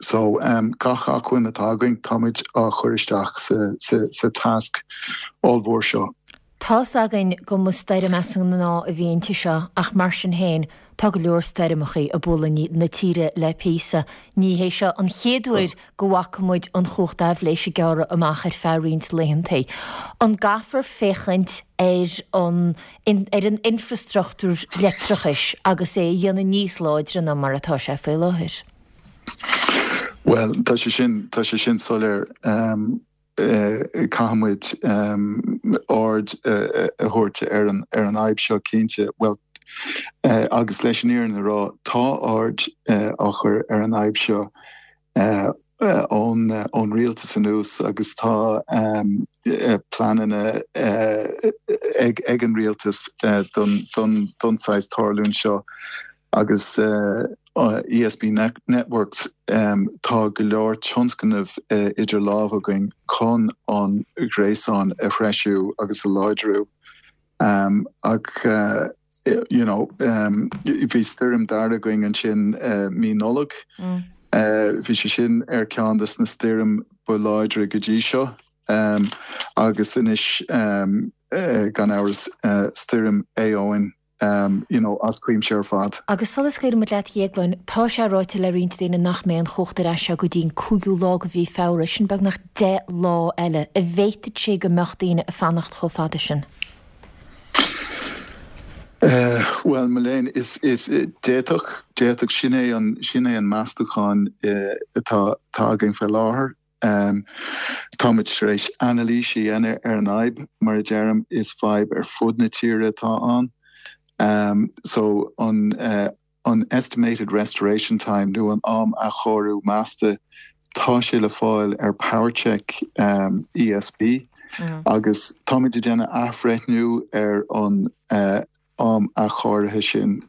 So, gach acmhainn atá againn, táimid á chur isteach sa tasc ollmhór seo. Tá's againn go mba stoirm as an ngnáth a bhí inti seo ach mar sin féin, tá go leor stoirmeachaí ag bualadh na tíre le píosa. Ní hé seo an chéad uair go bhfaca muid an chumhacht aibhléise ag gearradh amach ar feadh roinnt laethantaí. An gcaithfear féachaint ar an ar an infreastruchtúr leictreachais agus é a dhéanamh níos láidre ná mar atá sé faoi láthair? Bhuel, tá sé sin, tá sé sin soiléir. Caithfidh muid aird a thabhairt ar an, ar an fhadhb seo cinnte. Bhuel, agus leis an fhírinne a rá, tá aird á chur ar an fhadhb seo ón, ón rialtas anuas agus tá pleananna ag, ag an rialtas don, don, don saghas tarlúint seo agus. ESB Networks, Tá go leor tionscnamh idir lámha againn chun an gréasán a threisiú agus a láidriú. Ach you know bhí stoirm Darragh againn ansin mí Nollag. Bhí sé sin ar ceann de na stoirm ba láidre go dtí seo agus anois gan amhras stoirm Éowyn. you know, as cuimse ar fad. Agus sula scaoileann muid leat a Dhéagláin, tá sé ráite le roinnt daoine nach mbeidh an chumhacht ar ais go dtí an cúigiú lá de mhí Feabhra, sin beagnach 10 lá eile. An bhféadfadh sé go mbeadh daoine ag fanacht chomh fada sin? Bhuel, mo léan, is, is, d'fhéadfadh, d'fhéadfadh, sin é an, sin é an meastachán atá, atá againn faoi láthair. Táimid tar éis anailís a dhéanamh ar an fhadhb, mar a deirim, is fadhb ar fud na tíre atá ann. So, an an estimated restoration time nó an am athchóiriú measta, tá sé le fáil ar PowerCheck ESB agus táimid ag déanamh athbhreithniú ar an am athchóirithe sin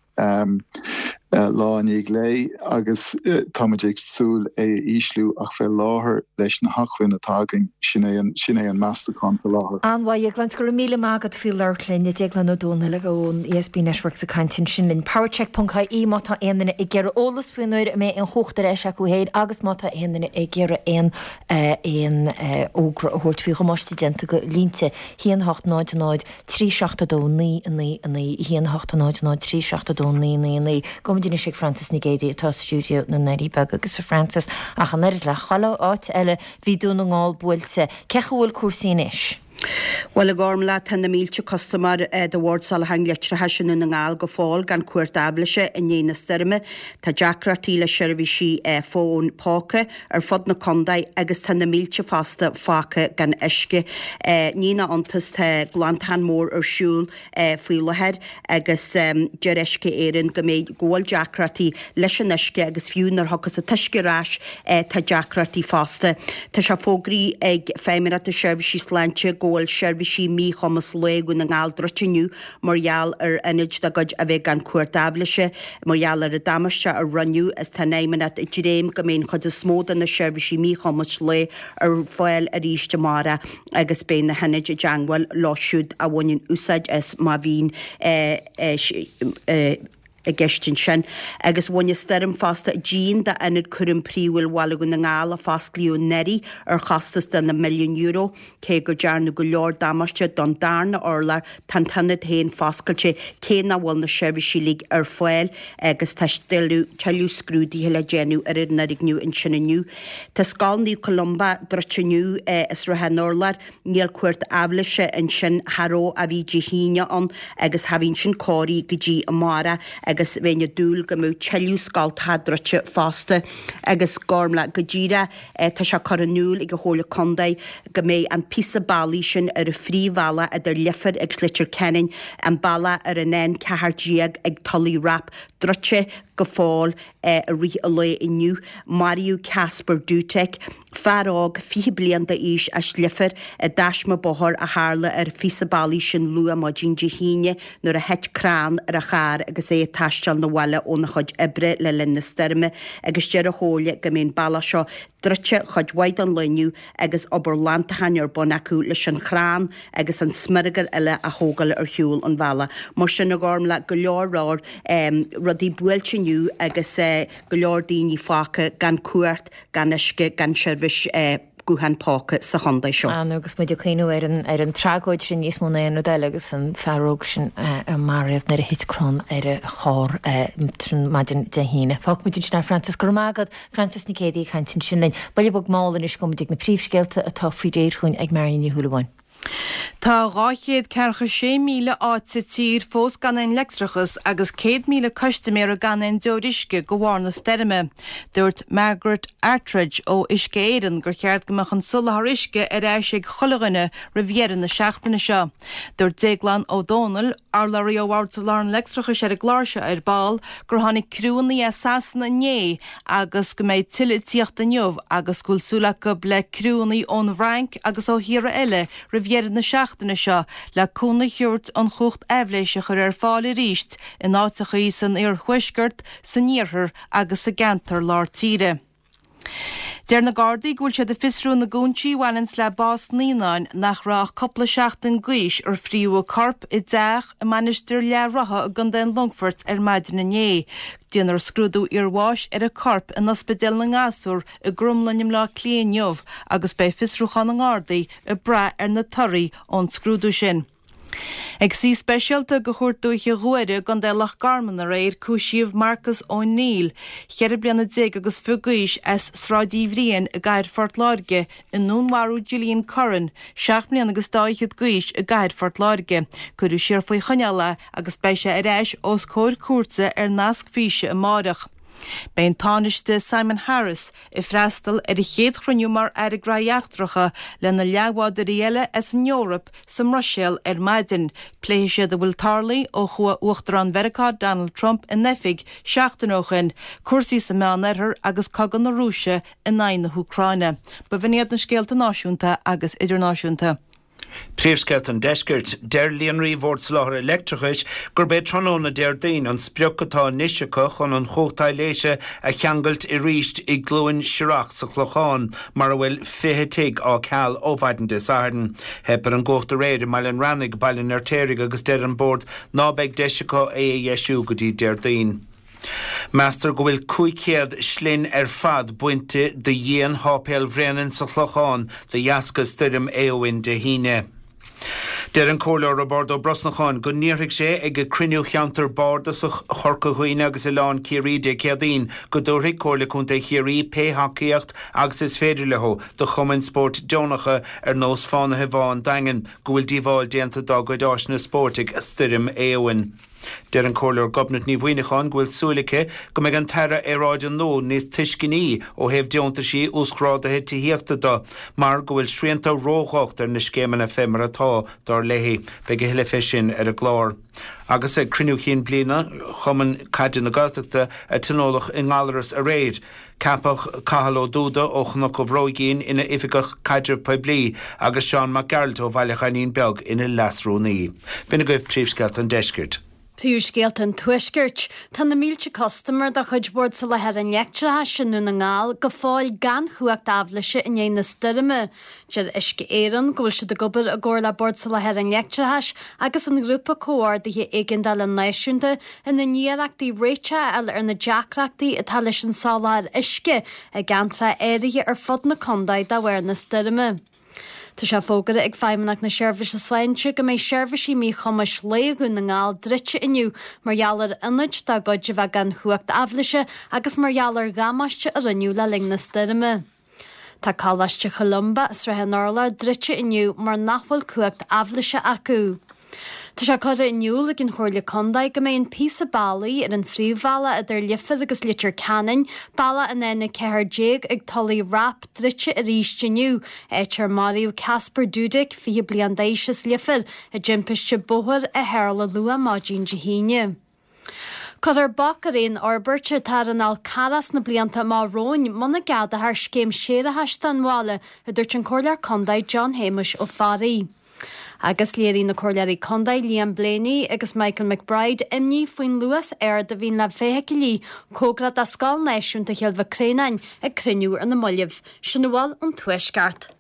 lá i ndiaidh lae agus táimid ag súil é a ísliú ach fé láthair leis na hacmhainn atá againn sin é an sin é an meastachán fé láthair. An-mhaith, a Dhéagláin, go raibh míle maith agat faoi labhairt linn. Déaglán Ó Dónaill ón ESB Networks ag caint ansin linn. Powercheck.ie má tá aon duine ag iarraidh eolas faoin uair a mbeidh an chumhacht ar ais acu féin agus má tá aon duine ag iarraidh aon aon fhógra a thabhairt faoi dhamáiste déanta go línte 1 8 0 0 3 7 2 9 9 9 1 8 0 0 3 7 2 9 9 9 Gabhaimid anois ag Frances Nic Géadaigh atá i stiúideo na nDoirí Beaga agus a Frances, ach an oiread le chuile áit eile, bhí Dún na nGall buailte. Cén chaoi a bhfuil cúrsaí anois? Bhuel, a Ghormlaith, tá na mílte custaiméir de Bhord Soláthair an Leictreachais i nDún na nGall go fóill gan cumhacht aibhléise i ndiaidh na stoirme. Tá deacrachtaí le seirbhísí fóin póca ar fud na contae agus tá na mílte fosta fágtha gan uisce. Ní nach iontas tá glantachán mór ar siúl faoi láthair agus deir Uisce Éireann go mbeidh, go bhfuil deacrachtaí leis an uisce agus fiú nuair a thiocfas an t-uisce ar ais tá deacrachtaí fosta. Tá sé fógraithe ag Feidhmeannacht na Seirbhísí Sláinte go bhfuil seirbhísí míchumas lae Dhún na nGall druidte inniu mar gheall ar ionaid dá gcuid a bheith gan cumhacht aibhléise mar gheall ar an damáiste a rinneadh is tá an Fheidhmeannacht ag dréim go mbeidh an chuid is mó de na seirbhísí míchumais lae ar fáil arís amárach agus beidh na hionaid i dteangmháil leo siúd a bhaineann úsáid as má bhíonn i gceist ansin. Agus bhain an stoirm fosta díon d'Ionad Cúraim Príomhúil Bhaile Dhún na nGall a fosclaíodh anuraidh ar chostas de na milliúin euro. Cé go dearnadh go leor damáiste don darna urlár, tá an t-ionad féin foscailte cé nach bhfuil na seirbhísí uilig ar fáil agus tá tuilleadh scrúduithe le déanamh ar an fhoirgneamh ansin inniu. Tá Scoil Naomh Columba druidte inniu i Sruthán Urláir. Níl cumhacht aibhléise ansin, cha raibh ó bhí Dé hAoine ann agus cha bhíonn sin cóirithe go dtí amárach agus bheinn ag dúil go mbeadh tuilleadh scoltacha druidte fosta agus Gormlaith go díreach tá sé curtha in iúl ag an Chomhairle Contae go mbeidh an píosa bealaigh sin ar an phríomhbhealach idir Leifear agus Leitir Ceanainn, an bealach ar an N14 ag Tulaigh Rap, druidte go fóill i rith an lae inniu. Maraíodh Kacper Dutek, fear óg 20 bliain d'aois as Leifear, i dtaisme bóthair a tharla ar an phíosa bealaigh sin luath maidin Dé hAoine nuair a thit crann ar a charr agus é ag taisteal 'na bhaile óna chuid oibre le linn na stoirme agus deir an Chomhairle go mbeidh an bealach seo druidte chuid mhaith den lá inniu agus obair ghlantacháin ar bun acu leis an chrann agus an smioragar eile a thógáil ar shiúl an bhealaigh. Mar sin, a Ghormlaith, go leor leor rudaí buailte inniu agus go leor daoine fágtha gan cumhacht, gan uisce, gan seirbhís guthán póca sa chontae seo. An, agus muid ag cuimhniú ar an, ar an tragóid sin níos mó ná aon rud eile agus an fear óg sin a maraíodh nuair a thit crann ar a charr maidin Dé hAoine. Fágfaidh muid ansin é, Frances. Go raibh maith agat. Frances Nic Géadaigh ag caint ansin linn. Buille bog mall anois, gabhfaidh muid ag na príomhscéalta atá faoi réir chugainn ag Marion Ní Shúilleabháin. Tá 246,000 áit sa tír fós gan aon leictreachas agus 100,000 custaiméara gan aon deoir uisce de bharr na stoirme. Dúirt Margaret Attridge ó Uisce Éireann gur cheart go mbeadh an soláthar uisce ar ais ag chuile dhuine roimh dheireadh na seachtaine seo. Dúirt Déaglán Ó Dónaill, urlabhraí ó Bhord Soláthair an Leictreachais ar an gclár seo ar ball, gur tháinig criúnna as Sasana inné agus go mbeidh tuilleadh ag tíocht inniu agus go bhfuil súil acu le criúnna ón bhFrainc agus ó thíortha eile roimh dheireadh na seachtaine seo le cúnamh a thabhairt an chumhacht aibhléise a chur ar fáil arís in áiteachaí san iarthuaisceart, san iarthar agus sa gceantar lár tíre. Deir na Gardaí go bhfuil siad ag fiosrú na gcúinsí a bhaineanns le bás naíonáin nach raibh ach cúpla seachtain d'aois ar fríodh a corp i dteach i Mainistir Leath Rotha i gContae an Longfoirt ar maidin inné. Déanfar scrúdú iarbháis ar an corp in Ospidéal na nGasúr i gCromghlinn i mBleá Cliath inniu agus beidh fiosrúchán na nGardaí ag brath ar na torthaí ón scrúdú sin. Ag suí speisialta de Chúirt Dúiche Ghuaire i gContae Loch Garman aréir cúisíodh Marcus O'Neill, 14 bliana agus fiche d'aois, as Sráid Uí Bhriain i gcathair Phort Láirge i ndúnmharú Gillian Curran, 7 mbliana agus dá fhichead d'aois i gcathair Phort Láirge. Cuireadh siar faoi choinneáil é agus beidh sé ar ais os comhair cúirte ar nasc físe amáireach. Beidh an Tánaiste Simon Harris ag freastal ar a chéad chruinniú mar Aire Graithí Eachtracha lena leathbhádóirí eile as an Eoraip sa mBruiséil ar maidin. Pléifidh siad a bhfuil tarlaithe ó chuaigh Uachtarán Mheiriceá Donald Trump in oifig seachtain ó shin, cúrsaí sa Meánoirthear agus cogadh na Rúise in aghaidh na hÚcráine. B'in iad na scéalta náisiúnta agus idirnáisiúnta. Príomhscéalta an Deiscirt. Deir Líonraí Bhord Soláthair Leictreachais gurb é tráthnóna Déardaoin an sprioc atá anois acu chun an chumhacht aibhléise a cheangailt arís i gCluain Siorach sa Chlochán mar a bhfuil 20 tigh á ceal ó mhaidin Dé Sathairn. Theip ar an gcumhacht aréir i mBaile an Reannaigh, Baile an Fheirtéaraigh agus deir an Bord ná beidh deis acu é a dheisiú go dtí Déardaoin. Meastar go bhfuil 500 slinn ar fad bainte de dhíon Sháipéal Bhréanainn sa Chlochán de dheasca stoirm Éowyn Dé hAoine. Deir an Comhairleoir Roibeárd Ó Brosnacháin go n-iarrfaidh sé ag cruinniú Cheantar Bardasach Chorca Dhuibhne agus Oileán Ciarraí Dé Céadaoin go dtabharfaidh Comhairle Contae Chiarraí pé thacaíocht agus is féidir leo do chumainn spóirt deonacha ar nós Fánaithe Bhá an Daingin go bhfuil díobháil déanta dá gcuid áiseanna spóirt ag Stoirm Éowyn. Deir an Comhairleoir Gobnait Ní Mhuineacháin go bhfuil súil aici go mbeidh an tAire Aeráide nua níos tuisceanaí ó thaobh deontaisí uasghrádaithe tithíochta de mar go bhfuil srianta ródhocht ar na scéimeanna fé mar atá, dar léi. Beidh a thuilleadh fé sin ar an gclár. Agus ag cruinniú chinn bliana Chumann Caide na Gaeltachta a tionóladh i nGallaras aréir, Ceapadh Cathal Ó Dúda ó Chnoc an Bhróigín ina Oifigeach Caidrimh Poiblí agus Seán Mac Gearailt ó Bhaile Ghainín Beag ina Leas-Rúnaí. B'in agaibh príomhscéalta an deiscirt. Príomhscéalta an Tuaiscirt. Tá na mílte custaiméir de chuid Bhord Soláthair an Leictreachais i nDún na nGall go fóill gan chumhacht aibhléise i ndiaidh na stoirme. Deir Uisce Éireann go bhfuil siad ag obair i gcomhar le Bord Soláthair an Leictreachais agus an Ghrúpa Comhordaithe Éigeandála Náisiúnta ina n-iarrachtaí réiteach a fháil ar na deacrachtaí atá leis an soláthar uisce i gceantracha áirithe ar fud na contae de bharr na stoirme. Tá sé fógartha ag Feidhmeannacht na Seirbhíse Sláinte go mbeidh seirbhísí míchumais lae Dhún na nGall druidte inniu mar gheall ar ionaid dá gcuid a bheith gan chumhacht aibhléise agus mar gheall ar dhamáiste a rinneadh le linn na stoirme. Tá Coláiste Cholumba i Srath an Urláir druidte inniu mar nach bhfuil cumhacht aibhléise acu. Tá sé curtha in iúl ag an Chomhairle Contae go mbeidh an píosa bealaigh ar an phríomhbhealach idir Leifear agus Leitir Ceanainn, bealach an N14 ag Tulaigh Rap, druidte arís inniu, áit ar maraíodh Kacper Dudek, 20 bliain d'aois as Leifear, i dtimpiste bóthair a tharla luath maidin Dé hAoine. Cuirfear bac ar aon fhorbairt atá ar an Fhál Carrach sna blianta amach romhainn muna gceadófar scéim séarachais don bhaile, a dúirt an Comhairleoir Contae John Shéamuis Ó Fearraigh. Agus léirigh na Comhairleoirí Contae Liam Blaney agus Michael McBride imní faoin luas ard a bhíonn le feithicilí cóngarach do Scoil Náisiúnta Chill Mhic Réanáin ag cruinniú ar na mallaibh. Sin a bhfuil ón Tuaisceart.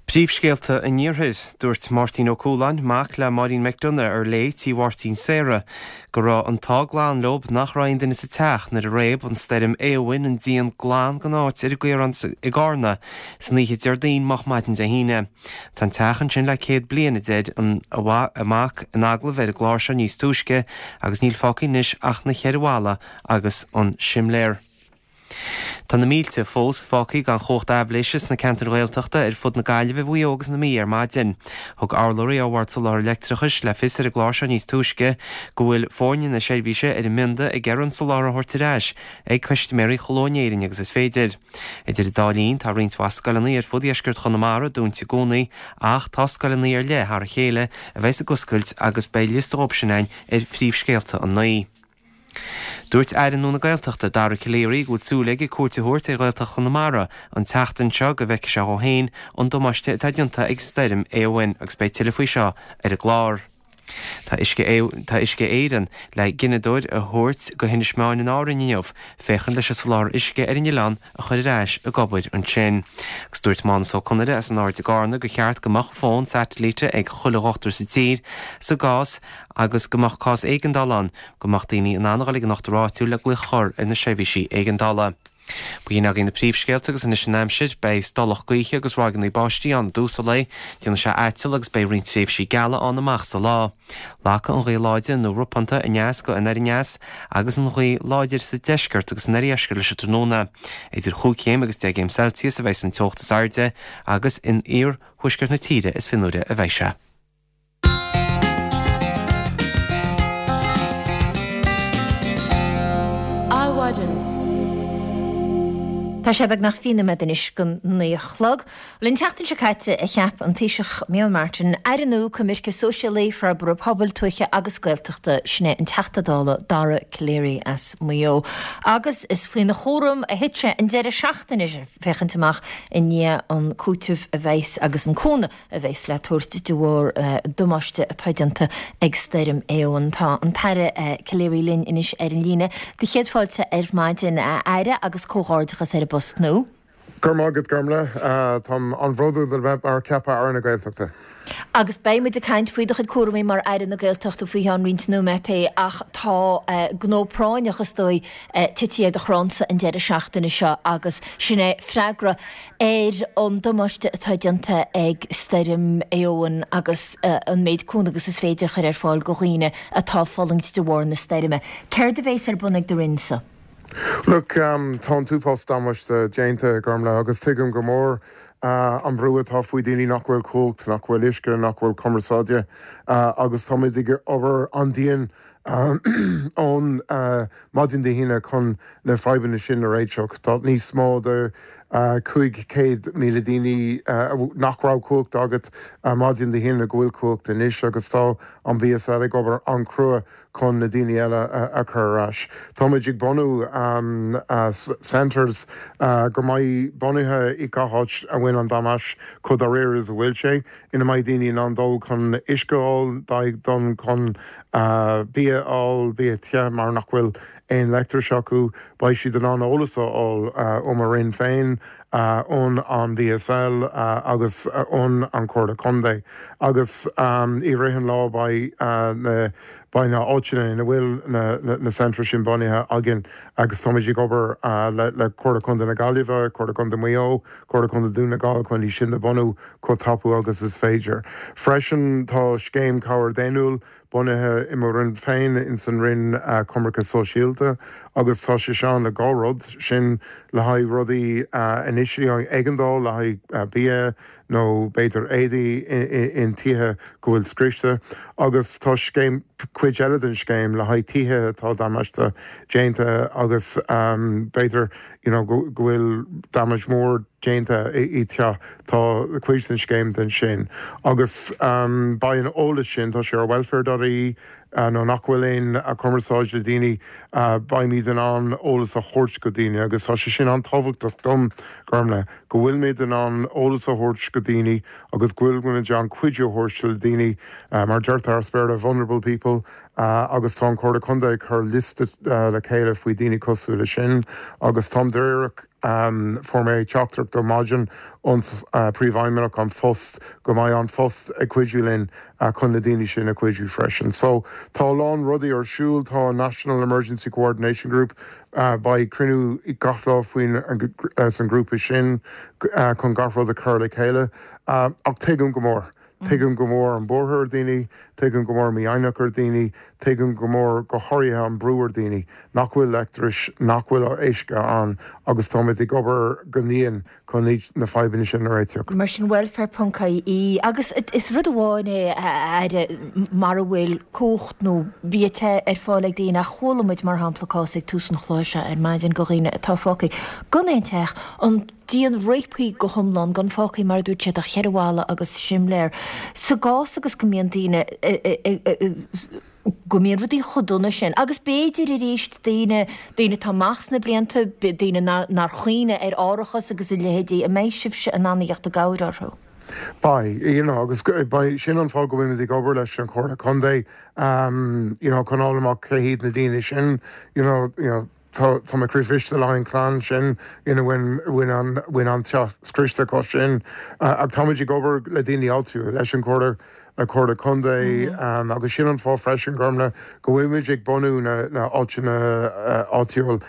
Príomhscéalta an Iarthair. Dúirt Máirtín Ó Cualáin, mac le Máirín McDonagh ar léi Tí Mháirtín Sarah, go raibh an t-ádh glan leo nach raibh aon duine sa teach nuair a réab an stoirm Éowyn an díon glan den áit ar an gCaorán i gCarna san oíche Déardaoin moch maidin Dé hAoine. Tá an teach ansin le 100 bliain, a deir a mac in agallamh ar an gclár seo níos túisce, agus níl fágtha anois ach na cheithre bhalla agus an simléar. Tá na mílte fós fágtha gan chumhacht aibhléise sna ceantair Ghaeltachta ar fud na Gaillimhe, Mhaigh Eo agus na Mí ar maidin. Thug urlabhraí ó Bhord Soláthair Leictreachais le fios ar an gclár seo níos túisce go bhfuil foirne na seirbhíse ar a mbionda ag iarraidh an soláthar a thabhairt ar ais ag custaiméirí chomh luath in Éirinn agus is féidir. Idir an dá linn, tá roinnt mhaith scoileanna ar fud dheisceart Chonamara dúnta i gcónaí ach tá scoileanna ar leith thar a chéile a bheas ag oscailt agus beidh liosta dhóibh sin againn ar phríomhscéalta a 9. Dúirt Aire nua na Gaeltachta, Dara Calleary, go bhfuil súil aige cuairt a thabhairt ar Ghaeltacht Chonamara an tseachtain seo go bhfeicfidh sé dhó féin an damáiste atá déanta ag Stoirm Éowyn agus beidh tuilleadh faoi seo ar an gclár. Tá Uisce Tá Uisce Éireann le gineadóir a thabhairt go hInis Meáin in Árainn inniu féachaint leis an soláthar uisce ar an oileán a chur ar ais ag obair ansin. Agus dúirt Mánas Ó Conaire as an Aird i gCarna gur cheart go mbeadh fón satailíte ag chuile dhochtúir sa tír sa gcás agus go mbeadh cás éigeandála ann, go mbeadh daoine in ann a dhul ag an ndochtúir áitiúil le glaoch a chur ar na seirbhísí éigeandála. B'in agaibh na príomhscéalta agus anois an aimsir. Beidh stolladh gaoithe agus ráigeanna báistí ann i dtús an lae. Déanfaidh sé aiteal agus beidh roinnt tréimhsí geala ann amach sa lá. Lagfaidh an ghaoth láidir nó ropánta aneas go anoir aneas agus an ghaoth láidir sa deisceart agus san oirdheisceart leis an tráthnóna. Idir chúig chéim agus 10 gcéim Celsius a bheidh an teocht is airde agus in iarthuaisceart na tíre is fionnuaire a bheidh sé. Adhmhaidin. Tá sé beagnach 20 nóiméad anois don 9 a chlog. Bhuel, an tseachtain seo caite a cheap an Taoiseach Micheál Martin Aire nua Coimirce Sóisialaí, Forbartha Pobail, Tuaithe agus Gaeltachta, sin é an Teachta Dála Dara Calleary as Maigh Eo. Agus is faoina chúram a thit sé an deireadh seachtaine seo féachaint amach i ndiaidh an cúiteamh a bheas agus an cúnamh a bheas le tabhairt de bharr damáiste atá déanta ag Stoirm Éowyn. Tá an tAire Calleary linn anois ar an líne. Do chéad fáilte ar maidin, a Aire, agus comhghairdeachas ar an bpost nua. Go raibh maith agat, Gormlaith. Táim an-bhródúil a bheith mar ceaptha Aire na Gaeltachta. Agus beidh muid ag caint faoi do chuid cúramaí mar Aire na Gaeltachta faoi cheann roinnt nóiméataí ach tá gnó práinneach, is dóigh, tite ar do chrannsa an deireadh seachtaine seo agus sin é freagra ar an damáiste atá déanta ag Stoirm Éowyn agus an méid cúnamh agus is féidir a chur ar fáil go dhaoine atá ag fulaingt de bharr na stoirme. Céard a bhéas ar bun ag do Roinnsa? Look, tá an t-uafás damáiste déanta, Gormlaith, agus tuigim go mór an brú atá faoi daoine nach bhfuil cumhacht, nach bhfuil uisce, nach bhfuil cumarsáide agus táimid ag obair an-dian ón maidin Dé hAoine chun na fadhbanna sin a réiteach. Tá níos mó de 500,000 daoine nach raibh cumhacht agat maidin Dé hAoine go bhfuil cumhacht anois agus tá an BSL ag obair an-chrua chun na daoine eile a chur ar ais. Táimid ag bunú centres go mbeidh bunaithe i gach áit a bhain an damáiste chomh dáiríre is a bhfuil sé. ina mbeidh daoine in ann dul chun uisce a fháil, dul chun bia a fháil, bia te mar nach bhfuil aon leictreachas acu. Beidh siad in ann eolas a fháil ó mo Roinn féin, ón an BSL agus ón an Chomhairle Contae. Agus i rith an lá beidh na beidh na áiteanna ina bhfuil na na centres sin bunaithe againn agus táimid ag obair le le Comhairle Contae na Gaillimhe, Comhairle Contae Mhaigh Eo, Comhairle Contae Dún na nGall chun iad sin a bhunú chomh tapaidh agus is féidir. Freisin tá scéim cabhair daonnúil bunaithe i mo Roinn féin, ins an Roinn Coimirce Sóisialta, agus tá sé seo ann le dhá rud, sin le haghaidh rudaí anois éigeandáil le haghaidh bia nó b'fhéidir éadaí in tithe go bhfuil scriosta, agus tá scéim, cuid eile den scéim le haghaidh tithe atá damáiste déanta agus b'fhéidir you know go bhfuil damage mór déanta i teach. Tá cuid den scéim den sin agus beidh an eolas sin, tá sé ar welfare dot ie nó nach bhfuil aon cumarsáid le daoine, beimid in ann eolas a thabhairt go daoine agus tá sé sin an-tábhachtach dom, Gormlaith, go bhfuilimid in ann eolas a thabhairt go daoine agus go bhfuilimid in ann cuidiú a thabhairt le daoine, mar deirtear as Béarla, vulnerable people agus tá an Chomhairle Contae ag cur liosta le chéile faoi daoine cosúil le sin agus táim dáiríreach. Fuair mé teachtaireacht ar maidin ón Príomhfheidhmeannach An Phost go mbeidh An Phost ag cuidiú linn chun na daoine sin a chuidiú freisin. So tá a lán rudaí ar siúl. Tá an National Emergency Coordination Group, beidh cruinniú gach lá faoin san grúpa sin chun gach rud a chur le chéile. Ach tuigim go mór. Tuigim go mór an buartha ar daoine, tuigim go mór mífhoighneach ar daoine, tuigim go mór go háirithe an brú ar daoine nach bhfuil leictreachas, nach bhfuil uisce ann agus táimid ag obair go dian chun na fadhbanna sin a réiteach. Mar sin welfare ponc ie agus is rud amháin é a Aire mara bhfuil cumhacht nó bia te ar fáil ag daoine ach chuala muid mar shampla cás ag tús an chláir seo ar maidin go dhaoine atá fágtha gan aon teach, an díon réabtha go hiomlán, gan fágtha, mar a dúirt siad, ach cheithre bhalla agus simléar. Sa gcás agus go mbíonn daoine, go mbíonn rudaí chomh dona sin, agus b'fhéidir arís daoine, daoine atá amach sna blianta, daoine nár chuimhnigh ar árachas agus a leithéidí, an mbeidh sibhse in ann a theacht i gcabhair orthu? Beidh, you know, agus beidh, sin an fáth go bhfuilimid ag obair leis an Chomhairle Contae, you know, chun fháil amach cé hiad na daoine sin, you know, you know, Tá mé croíbhriste le haghaidh an clann sin ina bhfuil an bhfuil an teach scriosta acu sin. Ach táimid ag obair le daoine áitiúla, leis an Chomhairle. Le Comhairle Contae agus sin an fáth freisin, Gormlaith, go bhfuilimid ag bunú na áiteanna áitiúil,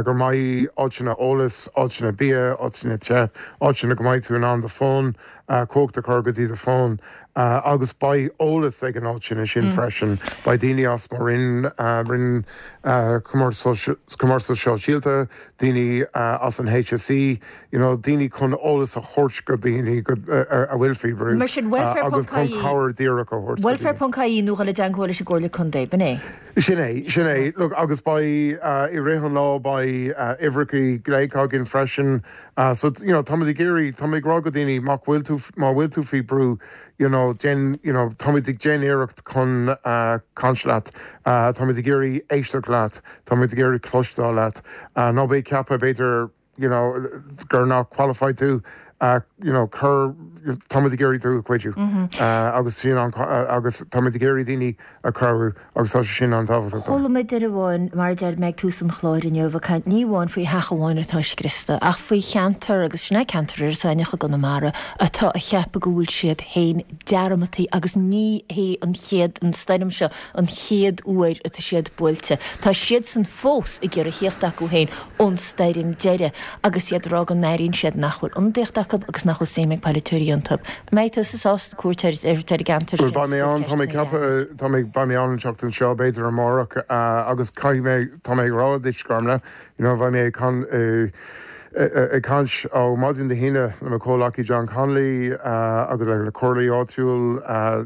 go mbeidh áiteanna eolais, áiteanna bia, áiteanna te, áiteanna go mbeidh tú in ann do fón, cumhacht a chur go dtí do fón agus beidh eolas ag an áiteanna sin freisin. Beidh daoine as mo Roinn, Roinn Cumarsáid Sóisialta, daoine as an HSE, you know, daoine chun eolas a thabhairt go daoine a bhfuil faoi bhrú Mar sin, welfare agus ponc chun ie, cabhair díreach a thabhairt go welfare daoine. ponc ie nó dhul i dteangmháil leis an gComhairle Contae, b'in é? Sin é, sin é. Look, agus beidh, i rith an lá beidh uimhreacha glaoch againn freisin. So, you know, táimid ag iarraidh, táimid ag rá go daoine má bhfuil tú, má bhfuil tú faoi brú, you know, déan, you know, táimid ag déanamh iarracht chun caint leat, táimid ag iarraidh éisteacht leat, táimid ag iarraidh cloisteáil leat. Ná bí ag ceapadh, b'fhéidir, you know, gur nach qualified tú, you know, cur, táimid ag iarraidh tú a chuidiú. Agus sin an, agus táimid ag iarraidh daoine a chabhrú agus tá sé sin an-tábhachtach dom. Chuala muid duine amháin, mar a deir mé ag tús an chláir inniu, ag caint ní amháin faoi theach amháin atá scriosta, ach faoi cheantar, agus sin é ceantar Iorras Aithneach i gConamara, atá a cheapadh go bhfuil siad féin dearmadtaí agus ní hé an chéad, an stoirm seo an chéad uair atá siad buailte. Tá siadsan fós ag iarraidh thíocht acu féin ón stoirm deiridh agus iad ag rá go n-airíonn siad nach bhfuil ionadaíocht acu agus nach bhfuil suim ag polaiteoirí iontu. An mbeidh tusa sásta cuairt ar an gceantar Bhuel, sin beidh mé agus ann, tá mé ag ceisteanna a ceapadh, tá mé, beidh mé ann an tseachtain seo, b'fhéidir amárach, agus caithfidh mé, tá mé ag rá duit, Gormlaith, you know, beidh mé ag can, ag caint ó maidin Dé hAoine le mo chomhleacaí John Connolly agus le comhairleoirí áitiúil,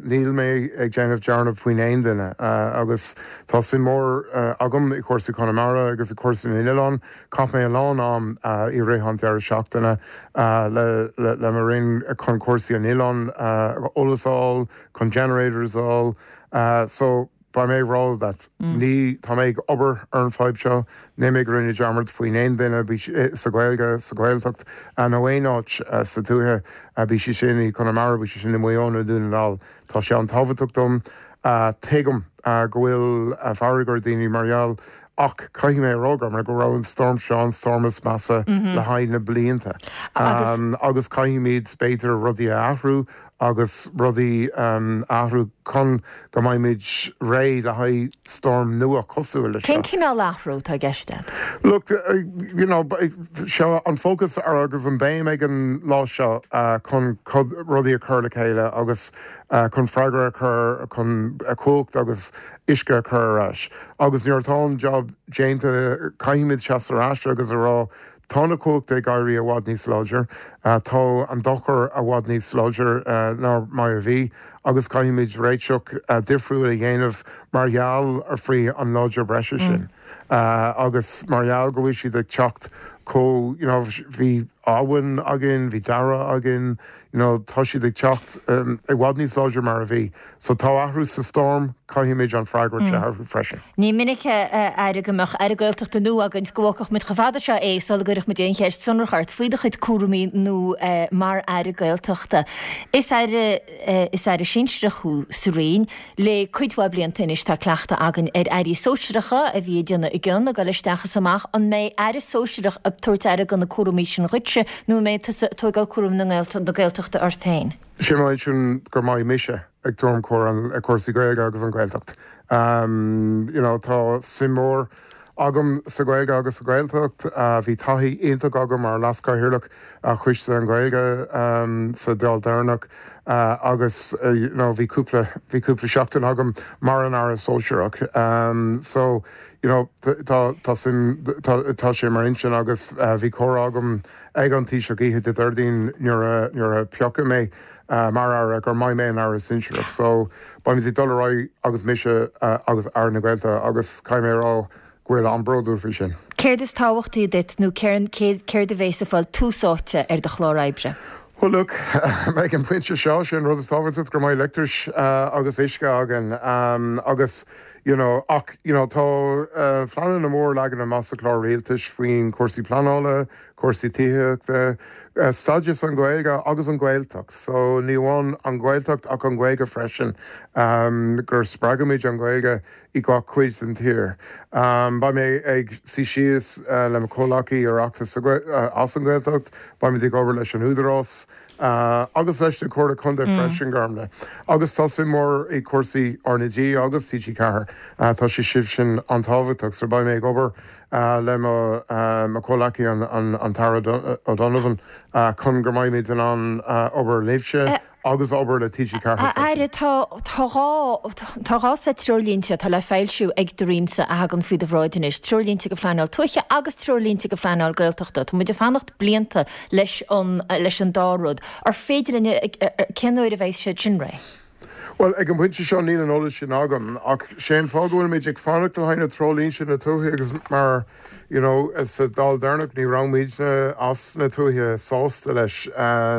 níl mé ag déanamh dearmad faoin aon duine agus Tá suim mhór agam i gcúrsaí Chonamara agus i gcúrsaí na n-oileán. Chaith mé a lán am i rith an deireadh seachtaine le mo roinn chun cúrsaí an oileáin eolas a fháil, chun generators a fháil. So, beidh mé ag rá that ní, tá mé ag obair ar an fadhb seo, níl mé ag rinne dearmad faoin aon duine, bíodh sa Ghaeilge, sa Ghaeltacht nó aon áit sa tuaithe, bíodh sé sin i Conamara, bíodh sé sin i Maigh Eo nó Dún na nGall. Tá sé an-tábhachtach dom. Tuigim go bhfuil fearg ar daoine mar gheall ach caithfidh mé a rá Gormlaith go raibh an stoirm seo an stoirm is measa le haghaidh na blianta agus caithfimid b'fhéidir rudaí a athrú agus rudaí a athrú chun go mbeimid réidh le haghaidh stoirm nua cosúil leis seo. Cén cineál athrú atá i gceist agat? Look, you know, seo an fócas agus an béim ag an lá seo chun rudaí a chur le chéile agus chun freagra a chur chun cumhacht agus uisce a chur ar ais. Agus nuair atá an job déanta, caithfimid seasamh ar ais agus a rá, tá na cumhachta ag éirí i bhfad níos láidir, tá an dochar i bhfad níos láidir ná mar a bhí agus caithfimid réiteach difriúil a dhéanamh mar gheall ar faoi an láidir breise sin. Agus mar gheall go bhfuil siad ag teacht chomh, you know, bhí Abhainn againn, bhí Darragh againn, you know, tá siad ag teacht i bhfad níos láidre mar a bhí. So tá athrú sa storm, caithfimid an freagairt a athrú freisin. Ní minic, a Aire, go mbeadh Aire Gaeltachta nua againn 's go bhfágfadh muid chomh fada seo é sula gcuirfeadh muid aon cheist sonrach ort faoi do chuid cúraimí nua mar Aire Gaeltachta. Is Aire, is Aire sinsearach thú sa Roinn. Le cuid mhaith blianta anois tá cleachtadh againn ar airí sóisearacha a bhí ag déanamh a gcion, ag dul isteach is amach. An mbeidh aire sóisearach ag tabhairt aire do na cúraimí sin dhuitse nó an mbeidh tusa ag tóigeáil cúram na Gaeltachta ort féin? Sé m'intinn go mbeidh mise ag tabhairt cúram ar cúrsaí Gaeilge agus an Ghaeltacht. You know tá suim mhór agam sa Ghaeilge agus sa Ghaeltacht. Bhí taithí iontach agam mar Leas-Chathaoirleach Choiste an Ghaeilge sa Dáil deireanach agus you know bhí cúpla bhí cúpla seachtain agam mar an Aire Sóisearach. So you know tá tá suim tá tá sé mar intinn agus bhí comhrá agam ag an Taoiseach oíche Dé Déardaoin nuair a nuair a piocadh mé mar Aire gur mbeidh mé an Aire Sinsearach. So beimid ag dul ar aghaidh agus mise agus Aire na Gaeltachta agus caithfidh mé a rá go bhfuil an-bhródúil faoi sin. Céard is tábhachtaí duit nó céard a bhéas ag fáil tús áite ar do chlár oibre? Well look, ag an bpointe seo, sé an rud is tábhachtaí go mbeidh leictreachas agus uisce againn agus you know ach you know tá pleananna mór leagtha amach sa chlár rialtais faoin cúrsaí pleanála, cúrsaí tithíochta, stádas an Ghaeilge agus an Ghaeltacht. So ní amháin an Ghaeltacht ach an Ghaeilge freisin, gur spreagaimid an Ghaeilge i gach cuid den tír. Beidh mé ag suí síos le mo chomhleacaí Oireachtais as an Ghaeltacht, beimid ag obair leis an Údarás. Agus leis na Comhairle Contae freisin, Gormlaith. Agus tá suim mhór i cúrsaí RnaG agus TG4. Tá sé sin an-tábhachtach. So beidh mé ag obair le mo chomhleacaí an tAire O'Donovan chun go mbeimid in ann obair libhse agus obair le TG4 A Aire, tá tá 2 seit treoirlínte atá le foilsiú ag do Roinnse a thagann faoi do bhráid anois, Treoirlínte do Phleanáil Tuaithe agus Treoirlínte do Phleanáil Gaeltachta. Tá muid ag fanacht blianta leis an leis an dá rud. Ar féidir linn, cén uair a bheidh siad sin réidh? Bhuel, ag an bpointe seo níl an eolas sin agam, ach sé an fáth go bhfuilimid ag fanacht le haghaidh na treoirlínte na tuaithe agus mar, you know, sa Dáil deireanach ní raibh muidne as na tuaithe sásta leis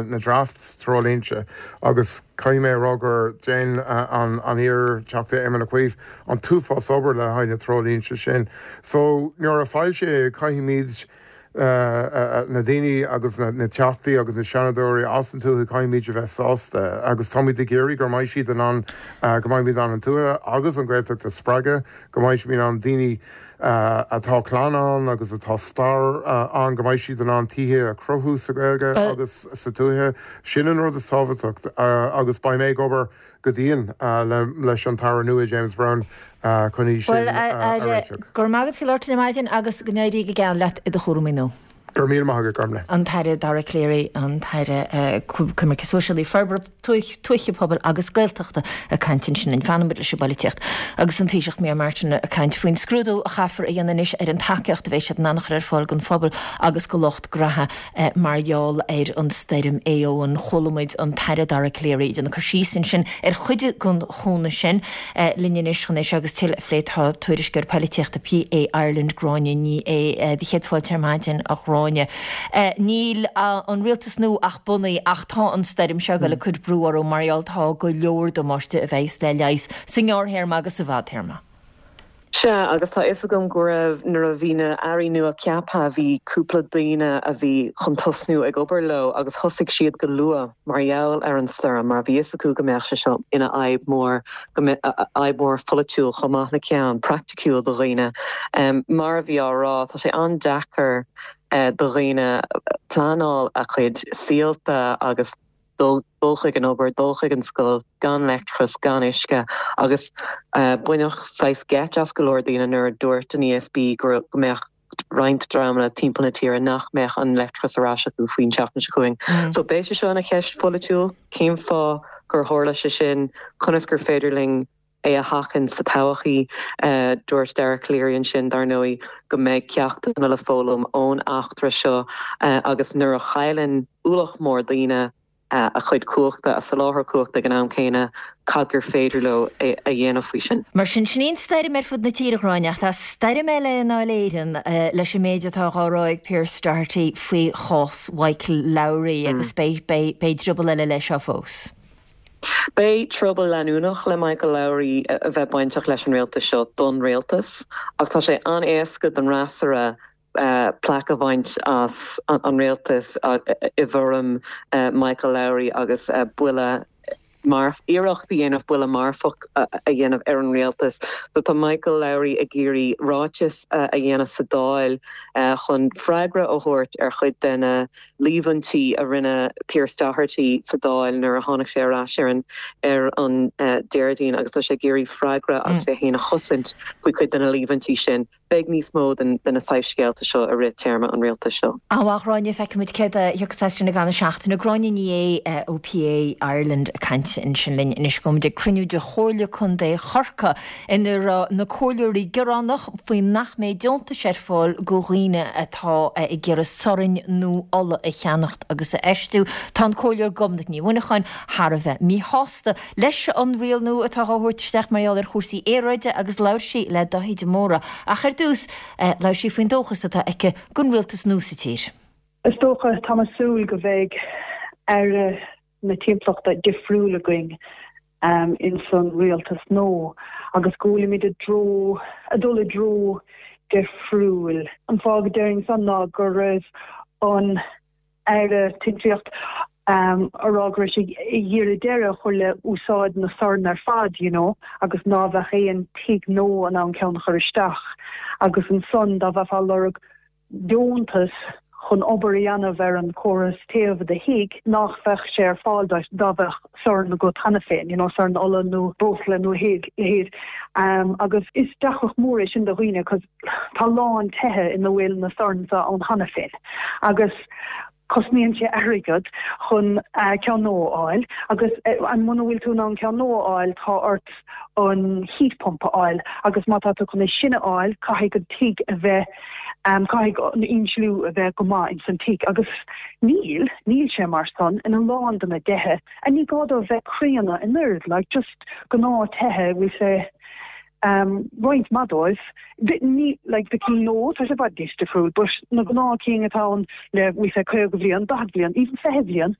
na draft treoirlínte agus caithfidh mé a rá gur dhein an an iar-Teachta Éamon Ó Cuív an t-uafás obair le haghaidh na treoirlínte sin. So nuair a foilsíodh caithfimid na daoine agus na Teachtaí agus na Seanadóirí as an tuaithe, caithfimid a bheith sásta agus táimid ag iarraidh go mbeidh siad in ann, go mbeimid in ann an tuaithe agus an Ghaeltacht a spreagadh, go mbeidh siad in ann daoine atá clann ann agus atá stair ann, go mbeidh siad in ann tithe a chruthú sa Ghaeilge agus sa tuaithe. Sin an rud is tábhachtach agus beidh mé ag obair go dian leis an tAire nua James Browne chun í sin Bhuel, a a Aire, réiteach. go raibh maith agat faoi labhairt linn ar maidin agus go n-éirí go geal leat i do chúramaí nua. Go raibh míle maith agat, Gormlaith. An tAire Dara Calleary, an tAire Coimirce Sóisialaí, Forbartha Tuaithe, Pobail agus Gaeltachta ag caint ansin linn. Fanfaidh muid leis an bpolaitíocht agus an Taoiseach Micheál Martin ag caint faoin scrúdú a chaithfear a dhéanamh anois ar an tacaíocht a bheidh siad in ann a chur ar fáil don phobal agus do lucht graithe Mar gheall ar an stoirm Éowyn, chuala muid an tAire Dara Calleary ag déanamh cur síos ansin ar chuid den chúnamh sin. Linn anois chun é seo agus tuilleadh a phlé tá tuairisceoir poilitíochta PA Ireland, Gráinne Ní Aodha. Do chéad fáilte ar maidin, a Ghráinne. Níl an rialtas nua ach bunaithe ach tá an stoirm seo ag dul ag cur brú orthu mar gheall tá go leor damáiste a bheas le leigheas sa ngearrthéarma agus sa bhfadtéarma. Sea, agus tá fhios agam go raibh, nuair a bhí na airí nua ceaptha, bhí cúpla daoine a bhí chun tosnú ag obair leo agus thosaigh siad go luath mar gheall ar an stoirm mar bhí fhios acu go mbeadh sé seo ina fhadhb mór, go mbeadh, fhadhb mhór pholaitiúil chomh maith le ceann praiticiúil do dhaoine. Mar a bhí á rá, tá sé an-deacair do dhaoine pleanáil a chuid saolta agus dul chuig an obair, dul chuig an scoil gan leictreachas, gan uisce agus baineadh saghas geit as go leor daoine nuair a dúirt an ESB go mbeadh roinnt dreamanna timpeall na tíre nach mbeadh an leictreachas ar ais acu faoin tseachtain seo chugainn. So beidh sé seo ina cheist pholaitiúil, cén fáth gur tharla sé sin, conas gur féidir linn é a sheachaint sa todhchaí. Dúirt Dara Calleary ansin, dar ndóigh, go mbeidh ceachtanna le foghlaim ón eachtra seo agus nuair a chailleann ualach mór daoine a chuid cumhachta, a soláthar cumhachta ag an am céanna, cad gur féidir leo a dhéanamh faoi sin. Mar sin, sin í an stoirm ar fud na tíre, a Ghráinne, ach tá stoirm eile i nDáil Éireann leis an méid atá dhá rá ag Pearse Doherty faoi chás Mhichael Lowry agus beidh, beidh, beidh druball eile leis seo fós. Beidh trioblóid leanúnach le Michael Lowry a bheith bainteach leis an rialtas seo don rialtas ach tá sé an-éasca don fhreasúra plaic a bhaint as an rialtas i bhfoirm Michael Lowry agus buille iarracht a dhéanamh buille marfach a dhéanamh ar an rialtas. So tá Michael Lowry ag iarraidh ráiteas a dhéanamh sa Dáil chun freagra a thabhairt ar chuid de na líomhaintí a rinne Pearse Doherty sa Dáil nuair a tháinig sé ar ais ar an ar an Déardaoin agus tá sé ag iarraidh freagra agus é féin a chosaint faoi chuid de na líomhaintí sin. Beidh níos mó den de na saghas scéalta seo i rith téarma an rialtais seo. An-mhaith, a Ghráinne, feicfimid céard a thiocfas as sin i gcaitheamh na seachtaine. Gráinne Ní Aodha ó PA Ireland ag caint ansin linn anois. Gabhfaimid ag cruinniú de Chomhairle Contae Chorcaí ina raibh na comhairleoirí gearánach faoi nach mbeidh deontais ar fáil go dhaoine atá ag iarraidh sorn nó ola a cheannacht agus a fheistiú. Tá an Comhairleoir Gobnait Ní Mhuineacháin thar a bheith míshásta leis an riail nua atá á thabhairt isteach mar gheall ar chúrsaí aeráide agus labhair sí le Dáithí de Mórdha. Ach ar dtús, labhair sí faoin dóchas atá aici don rialtas nua sa tír. Is dócha, táim ag súil go mbeidh Aire na timpeallachta difriúil againn ins an rialtas nua agus go bhfuilimid i dtreo, ag dul i dtreo difriúil. An fáth go déarfainn san ná go raibh an Aire Timpeallachta a rá go raibh sé ag iarraidh deireadh a chur le úsáid na sorn ar fad, you know, agus ná bheadh aon tigh nua in ann ceann a chur isteach agus ansan dá bheifeá ag lorg deontas. chun obair a dhéanamh ar an chóras téimh i do thigh nach bheadh sé ar fáil duit dá bheadh sorn agat cheana féin, you know sorn ola nó breosla nó a leithéid. Agus is deacracht mór é sin do dhaoine 'cause tá a lán tithe ina bhfuil na soirn seo ann cheana féin agus cosnaíonn sé airgead chun ceann nua a fháil agus muna bhfuil tú in ann ceann nua a fháil tá ort an heat pump a fháil agus má tá tú chun é sin a fháil caithfidh an tigh a bheith caithfidh an insliú a bheith go maith ins an tigh agus níl, níl sé mar san in a lán de na tithe and ní gá dóibh bheith críonna in oiread like just gnáth tithe bhfuil sé roinnt mhaith dóibh. Ní, like, na cinn nua, tá sé i bhfad níos difriúil, but na gnáth cinn atá ann le, bhfuil sé 50 bhliain, 40 bhliain, even 20 bhliain,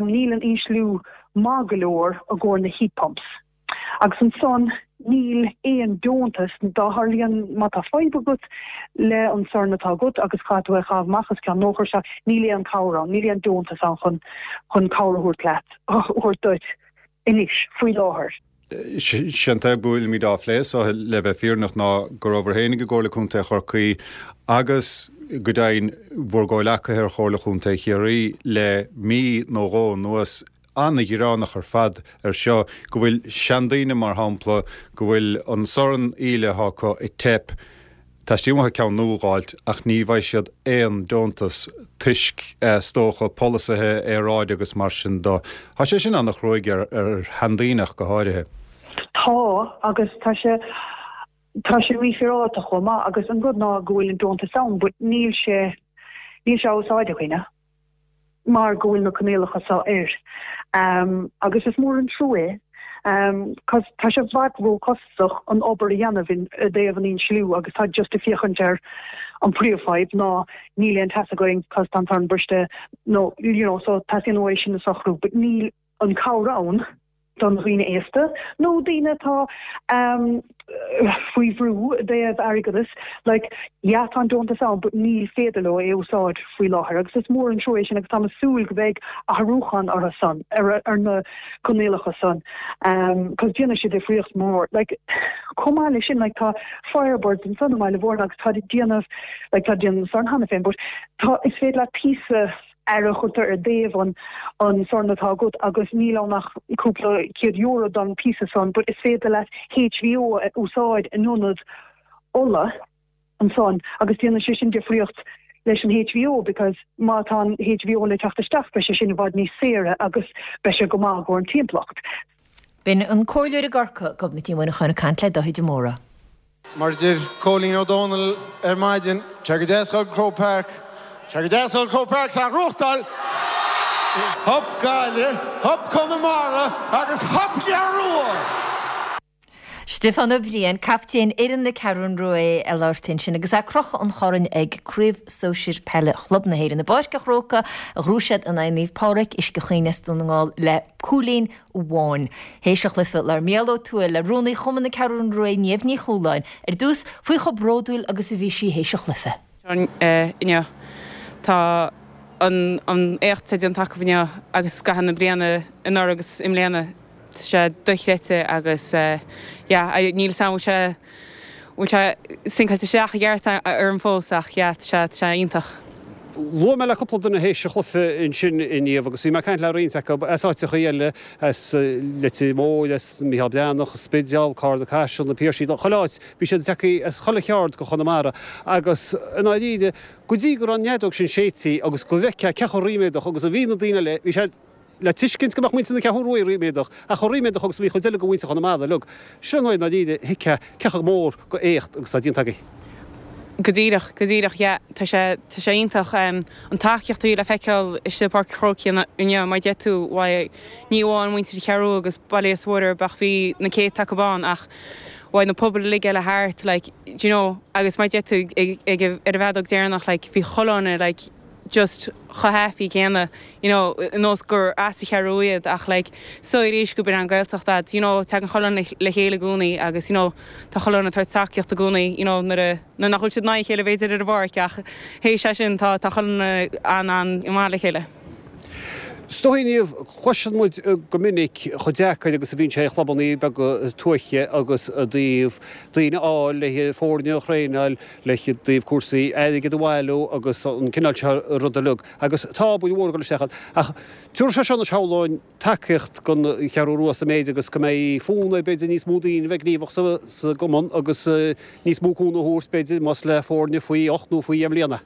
níl an insliú maith go leor i gcomhair na heat pumps. Agus ansan níl aon deontas dá tharlaíonn, má tá fadhb agat le an sorn atá agat agus caithfidh tú é a chaitheamh amach agus ceann nua a chur isteach, níl aon cabhair ann, níl aon deontas ann chun, chun cabhair a thabhairt leat, a thabhairt duit anois, faoi láthair. Sé an fhadhb go bhfuilimid á phlé so, le bheith fírinneach, ná go rabhabhair féinig i gComhairle Contae Chorcaí agus, go deimhin, bhur gcomhleacaithe ar Chomhairle Chontae Chiarraí le mí nó dhó anuas an-ghearánach ar fad ar seo, go bhfuil seandaoine, mar shampla, go bhfuil an sorn aoile atá acu ag teip, Teastaíonn uathu ceann nua a dh'fháilt ach ní bhfaighidh siad aon deontas toisc, is dócha, polasaithe aeráide agus mar sin do. Tá sé sin an-chruaidh ar sheandaoine ach go háirithe. Tá, agus tá sé, tá sé mífhéaráilte chomh maith agus an rud ná go bhfuil an deontas ann but níl sé, níl sé á úsáid ag daoine. mar go bhfuil na coinníollacha seo air. Agus is mór an trua é, cos tá sé i bhfad ró-chostasach an obair a dhéanamh i dtaobh an insliú agus tá just ag féachaint ar an príomhfhadhb ná níl aon teas againn cos tá an sorn briste nó you know so teastaíonn uaidh sin a socrú but níl an cabhair ann don dhaoine aosta nó daoine atá faoi bhrú i dtaobh airgeadas, like, yeah tá an deontas ann but níl féidir leo é a úsáid faoi láthair agus is mór an trua é sin agus táim ag súil go mbeidh athrúchán orthu san, ar na coinníollacha san cos déanfaidh sé difríocht mór. Like, chomh maith leis sin, like, tá Firebirds ansan i mBaile Mhúirne agus táid ag déanamh, like, tá déanamh na sorn cheana féin but tá, is féidir leat píosa, air a chuirtear i dtaobh an an sorn atá agat agus níl ann ach cúpla €100 don píosa san but is féidir leat HVO a úsáid in ionad ola ansan agus déanann sé sin difríocht leis an HVO because má tá an HVO le teacht isteach beidh sé sin i bhfad níos saoire agus beidh sé go maith i gcomhair an timpeallacht. B'in an Comhairleoir i gCorcaigh, Gobnait Ní Mhuineacháin ag caint le Dáithí de Mórdha. Mar a deir Cóilín Ó Dónaill ar maidin, tá sé go deas dhul go Croke Park, tá sé go deas dhul go Croke Park 's a ghnóthachtáil! Hup Gaillimh, hup Conamara agus hup an Cheathrú Rua! Stiofán Ó Briain, captaen fhoireann na Ceathrún Rua ag labhairt ansin agus é ag crochadh an choirn ag Craobh Sóisir Peile Chlub na hÉireann i bPáirc an Chrócaigh a ghnóthaigh siad in aghaidh Naomh Pádraig, Uisce Chaoin as Dún na nGall le cúilín amháin. Théis an chluiche, labhair Mícheál Ó Tuathail le Rúnaí Chumann na Ceathrún Rua, Niamh Ní Chualáin, ar dtús faoi chomh bródúil agus a bhí sí théis an chluiche. Inniu. Tá an éacht atá déanta acu inniu agus i gcaitheamh na bliana anuraidh agus i mbliana, tá sé dochreidte agus yeah, níl 'fhios a'm bhfuil sé bhfuil sé sinceáilte isteach i gceart orm fós ach yeah, tá sé, tá sé iontach. Luaigh mé le cúpla duine théis an chluiche ansin a Niamh agus bhí mé ag caint le roinnt acu as áiteachaí eile, as Leitir Móir, as Micheál Breathnach, Spidéal, Carna Caiseal, Na Piarsaigh, chuile áit, bhí siad tagtha as chuile cheard de Chonamara agus i ndáiríre, go dtí go raibh an fheadóg sin séidte agus go bhfeicfeá cé chomh ríméadach agus a bhí na daoine eile, bhí sé le tuiscint go mbeadh muintir na Ceathrún Rua ríméadach, ach chomh ríméadach agus a bhí chuid eile de mhuintir Chonamara uilig. Sin an uair i ndáiríre a thuigfeá cé chomh mór go éacht agus atá déanta agaibh. Go díreach, go díreach, yeah. Tá sé, tá sé iontach. An tacaíocht a bhí le feiceáil istigh i bPáirc an Chrócaigh inniu, mar a deir tú, bhuel, ní amháin muintir Cheathrú Rua agus Baile Íosa Mhuire, ach bhí na céadta acu ann, ach bhuel na pobail uilig eile thart, like, do you know, agus mar a deir tú, ag, ag, ar an bhfeadóg deireanach, like, bhí chuile dhuine, like, just chomh happy céanna, you know, nós gur as an Cheathrú iad ach like so arís go b'in an Gaeltacht a'd, you know, tagann chuile dhuine le chéile i gcónaí agus you know tá chuile dhuine ag tabhairt tacaíocht i gcónaí, you know, nuair a, nuair nach bhfuil siad in aghaidh a chéile b'fhéidir ar an bpáirc ach théis é sin tá, tá chuile dhuine an-an-mhaith le chéile. Is dóigh Niamh, cloiseann muid go minic chomh deacair agus a bhíonn sé ag chlubannaí beaga tuaithe agus i dtaobh daoine a fháil le foirne a thraenáil, le dtaobh cúrsaí airgid a bhailiú agus an cineál seo rud uilig. Agus tá obair mhór ag dul isteach ann. Ach tabharfaidh sé seo anois shamhlóinn tacaíocht don Cheathrú Rua sa méid agus go mbeidh fonn air b'fhéidir níos mó daoine a bheith gníomhach sa gcumann agus níos mó cúnamh a thabhairt b'fhéidir más le foirne faoi ocht nó faoi dheich mbliana.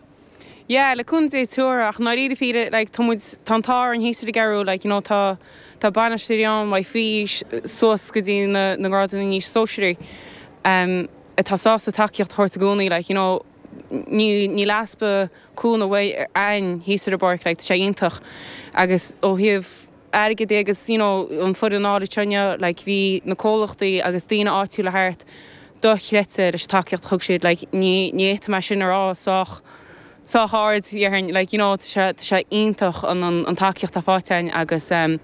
Yeah, le cúnamh Dé tabharfaidh, ach i ndáiríre píre, like, tá muid, tá an t-ádh orainn thíos ar an gCeathrú, like, you know, tá, tá bainisteoirí ann uaidh faoi aois suas go dtí na, na grádanna níos sóisearaí, em, atá sásta tacaíocht a thabhairt i gcónaí, like, you know, níl, níl easpa cúnamh uaidh, againn thíos ar an bpáirc, like, tá sé iontach. Agus ó thaobh airgid de agus, you know, an foireann a fháil anseo inniu, like, bhí na comhlachtaí agus daoine áitiúla thart, dochreidte leis an tacaíocht a thug siad like ní ní fhéadfaidh mé sin a rá sách sách ard déarfainn like you know tá sé tá sé iontach an an an tacaíocht atá faighte againn agus em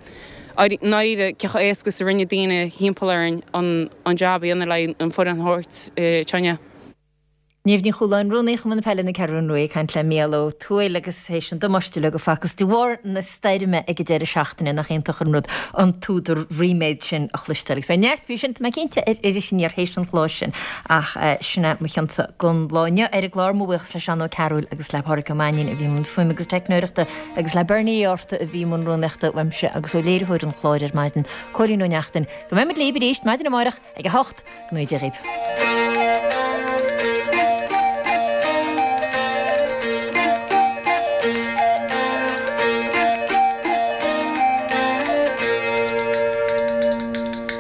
i ndáiríre cé chomh éasca is a rinne daoine thimpeall orainn an an jab a dhéanamh le an foireann a thabhairt anseo inniu. Niamh Ní Chualáin, Rúnaí Chumann Peile na Ceathrún Rua ag caint le Mícheál Ó Tuathail agus théis an damáiste uilig a facthas de bharr na stoirme ag an deireadh seachtaine, nach iontach an rud an t-údar ríméid sin a chloisteáil. Agus beidh neart faoi sin, tá mé cinnte, ar Iris Aniar théis an chláir sin. Ach sin é mo chionsa don lá inniu ar an gclár. Mo bhuíochas le Seán Ó Cearúil agus le Pádhraic Ó Mainnín a bhí i mbun fuaime agus teicneoireachta agus le Bernie Uí Fhátharta a bhí i mbun rúnaíochta uaimse agus ó léiritheoir an chláir ar maidin, Cóilín Ó Neachtain. Go mbeidh muid libh arís maidin amárach ag 8, go ngnóthaí Dia dhaoibh.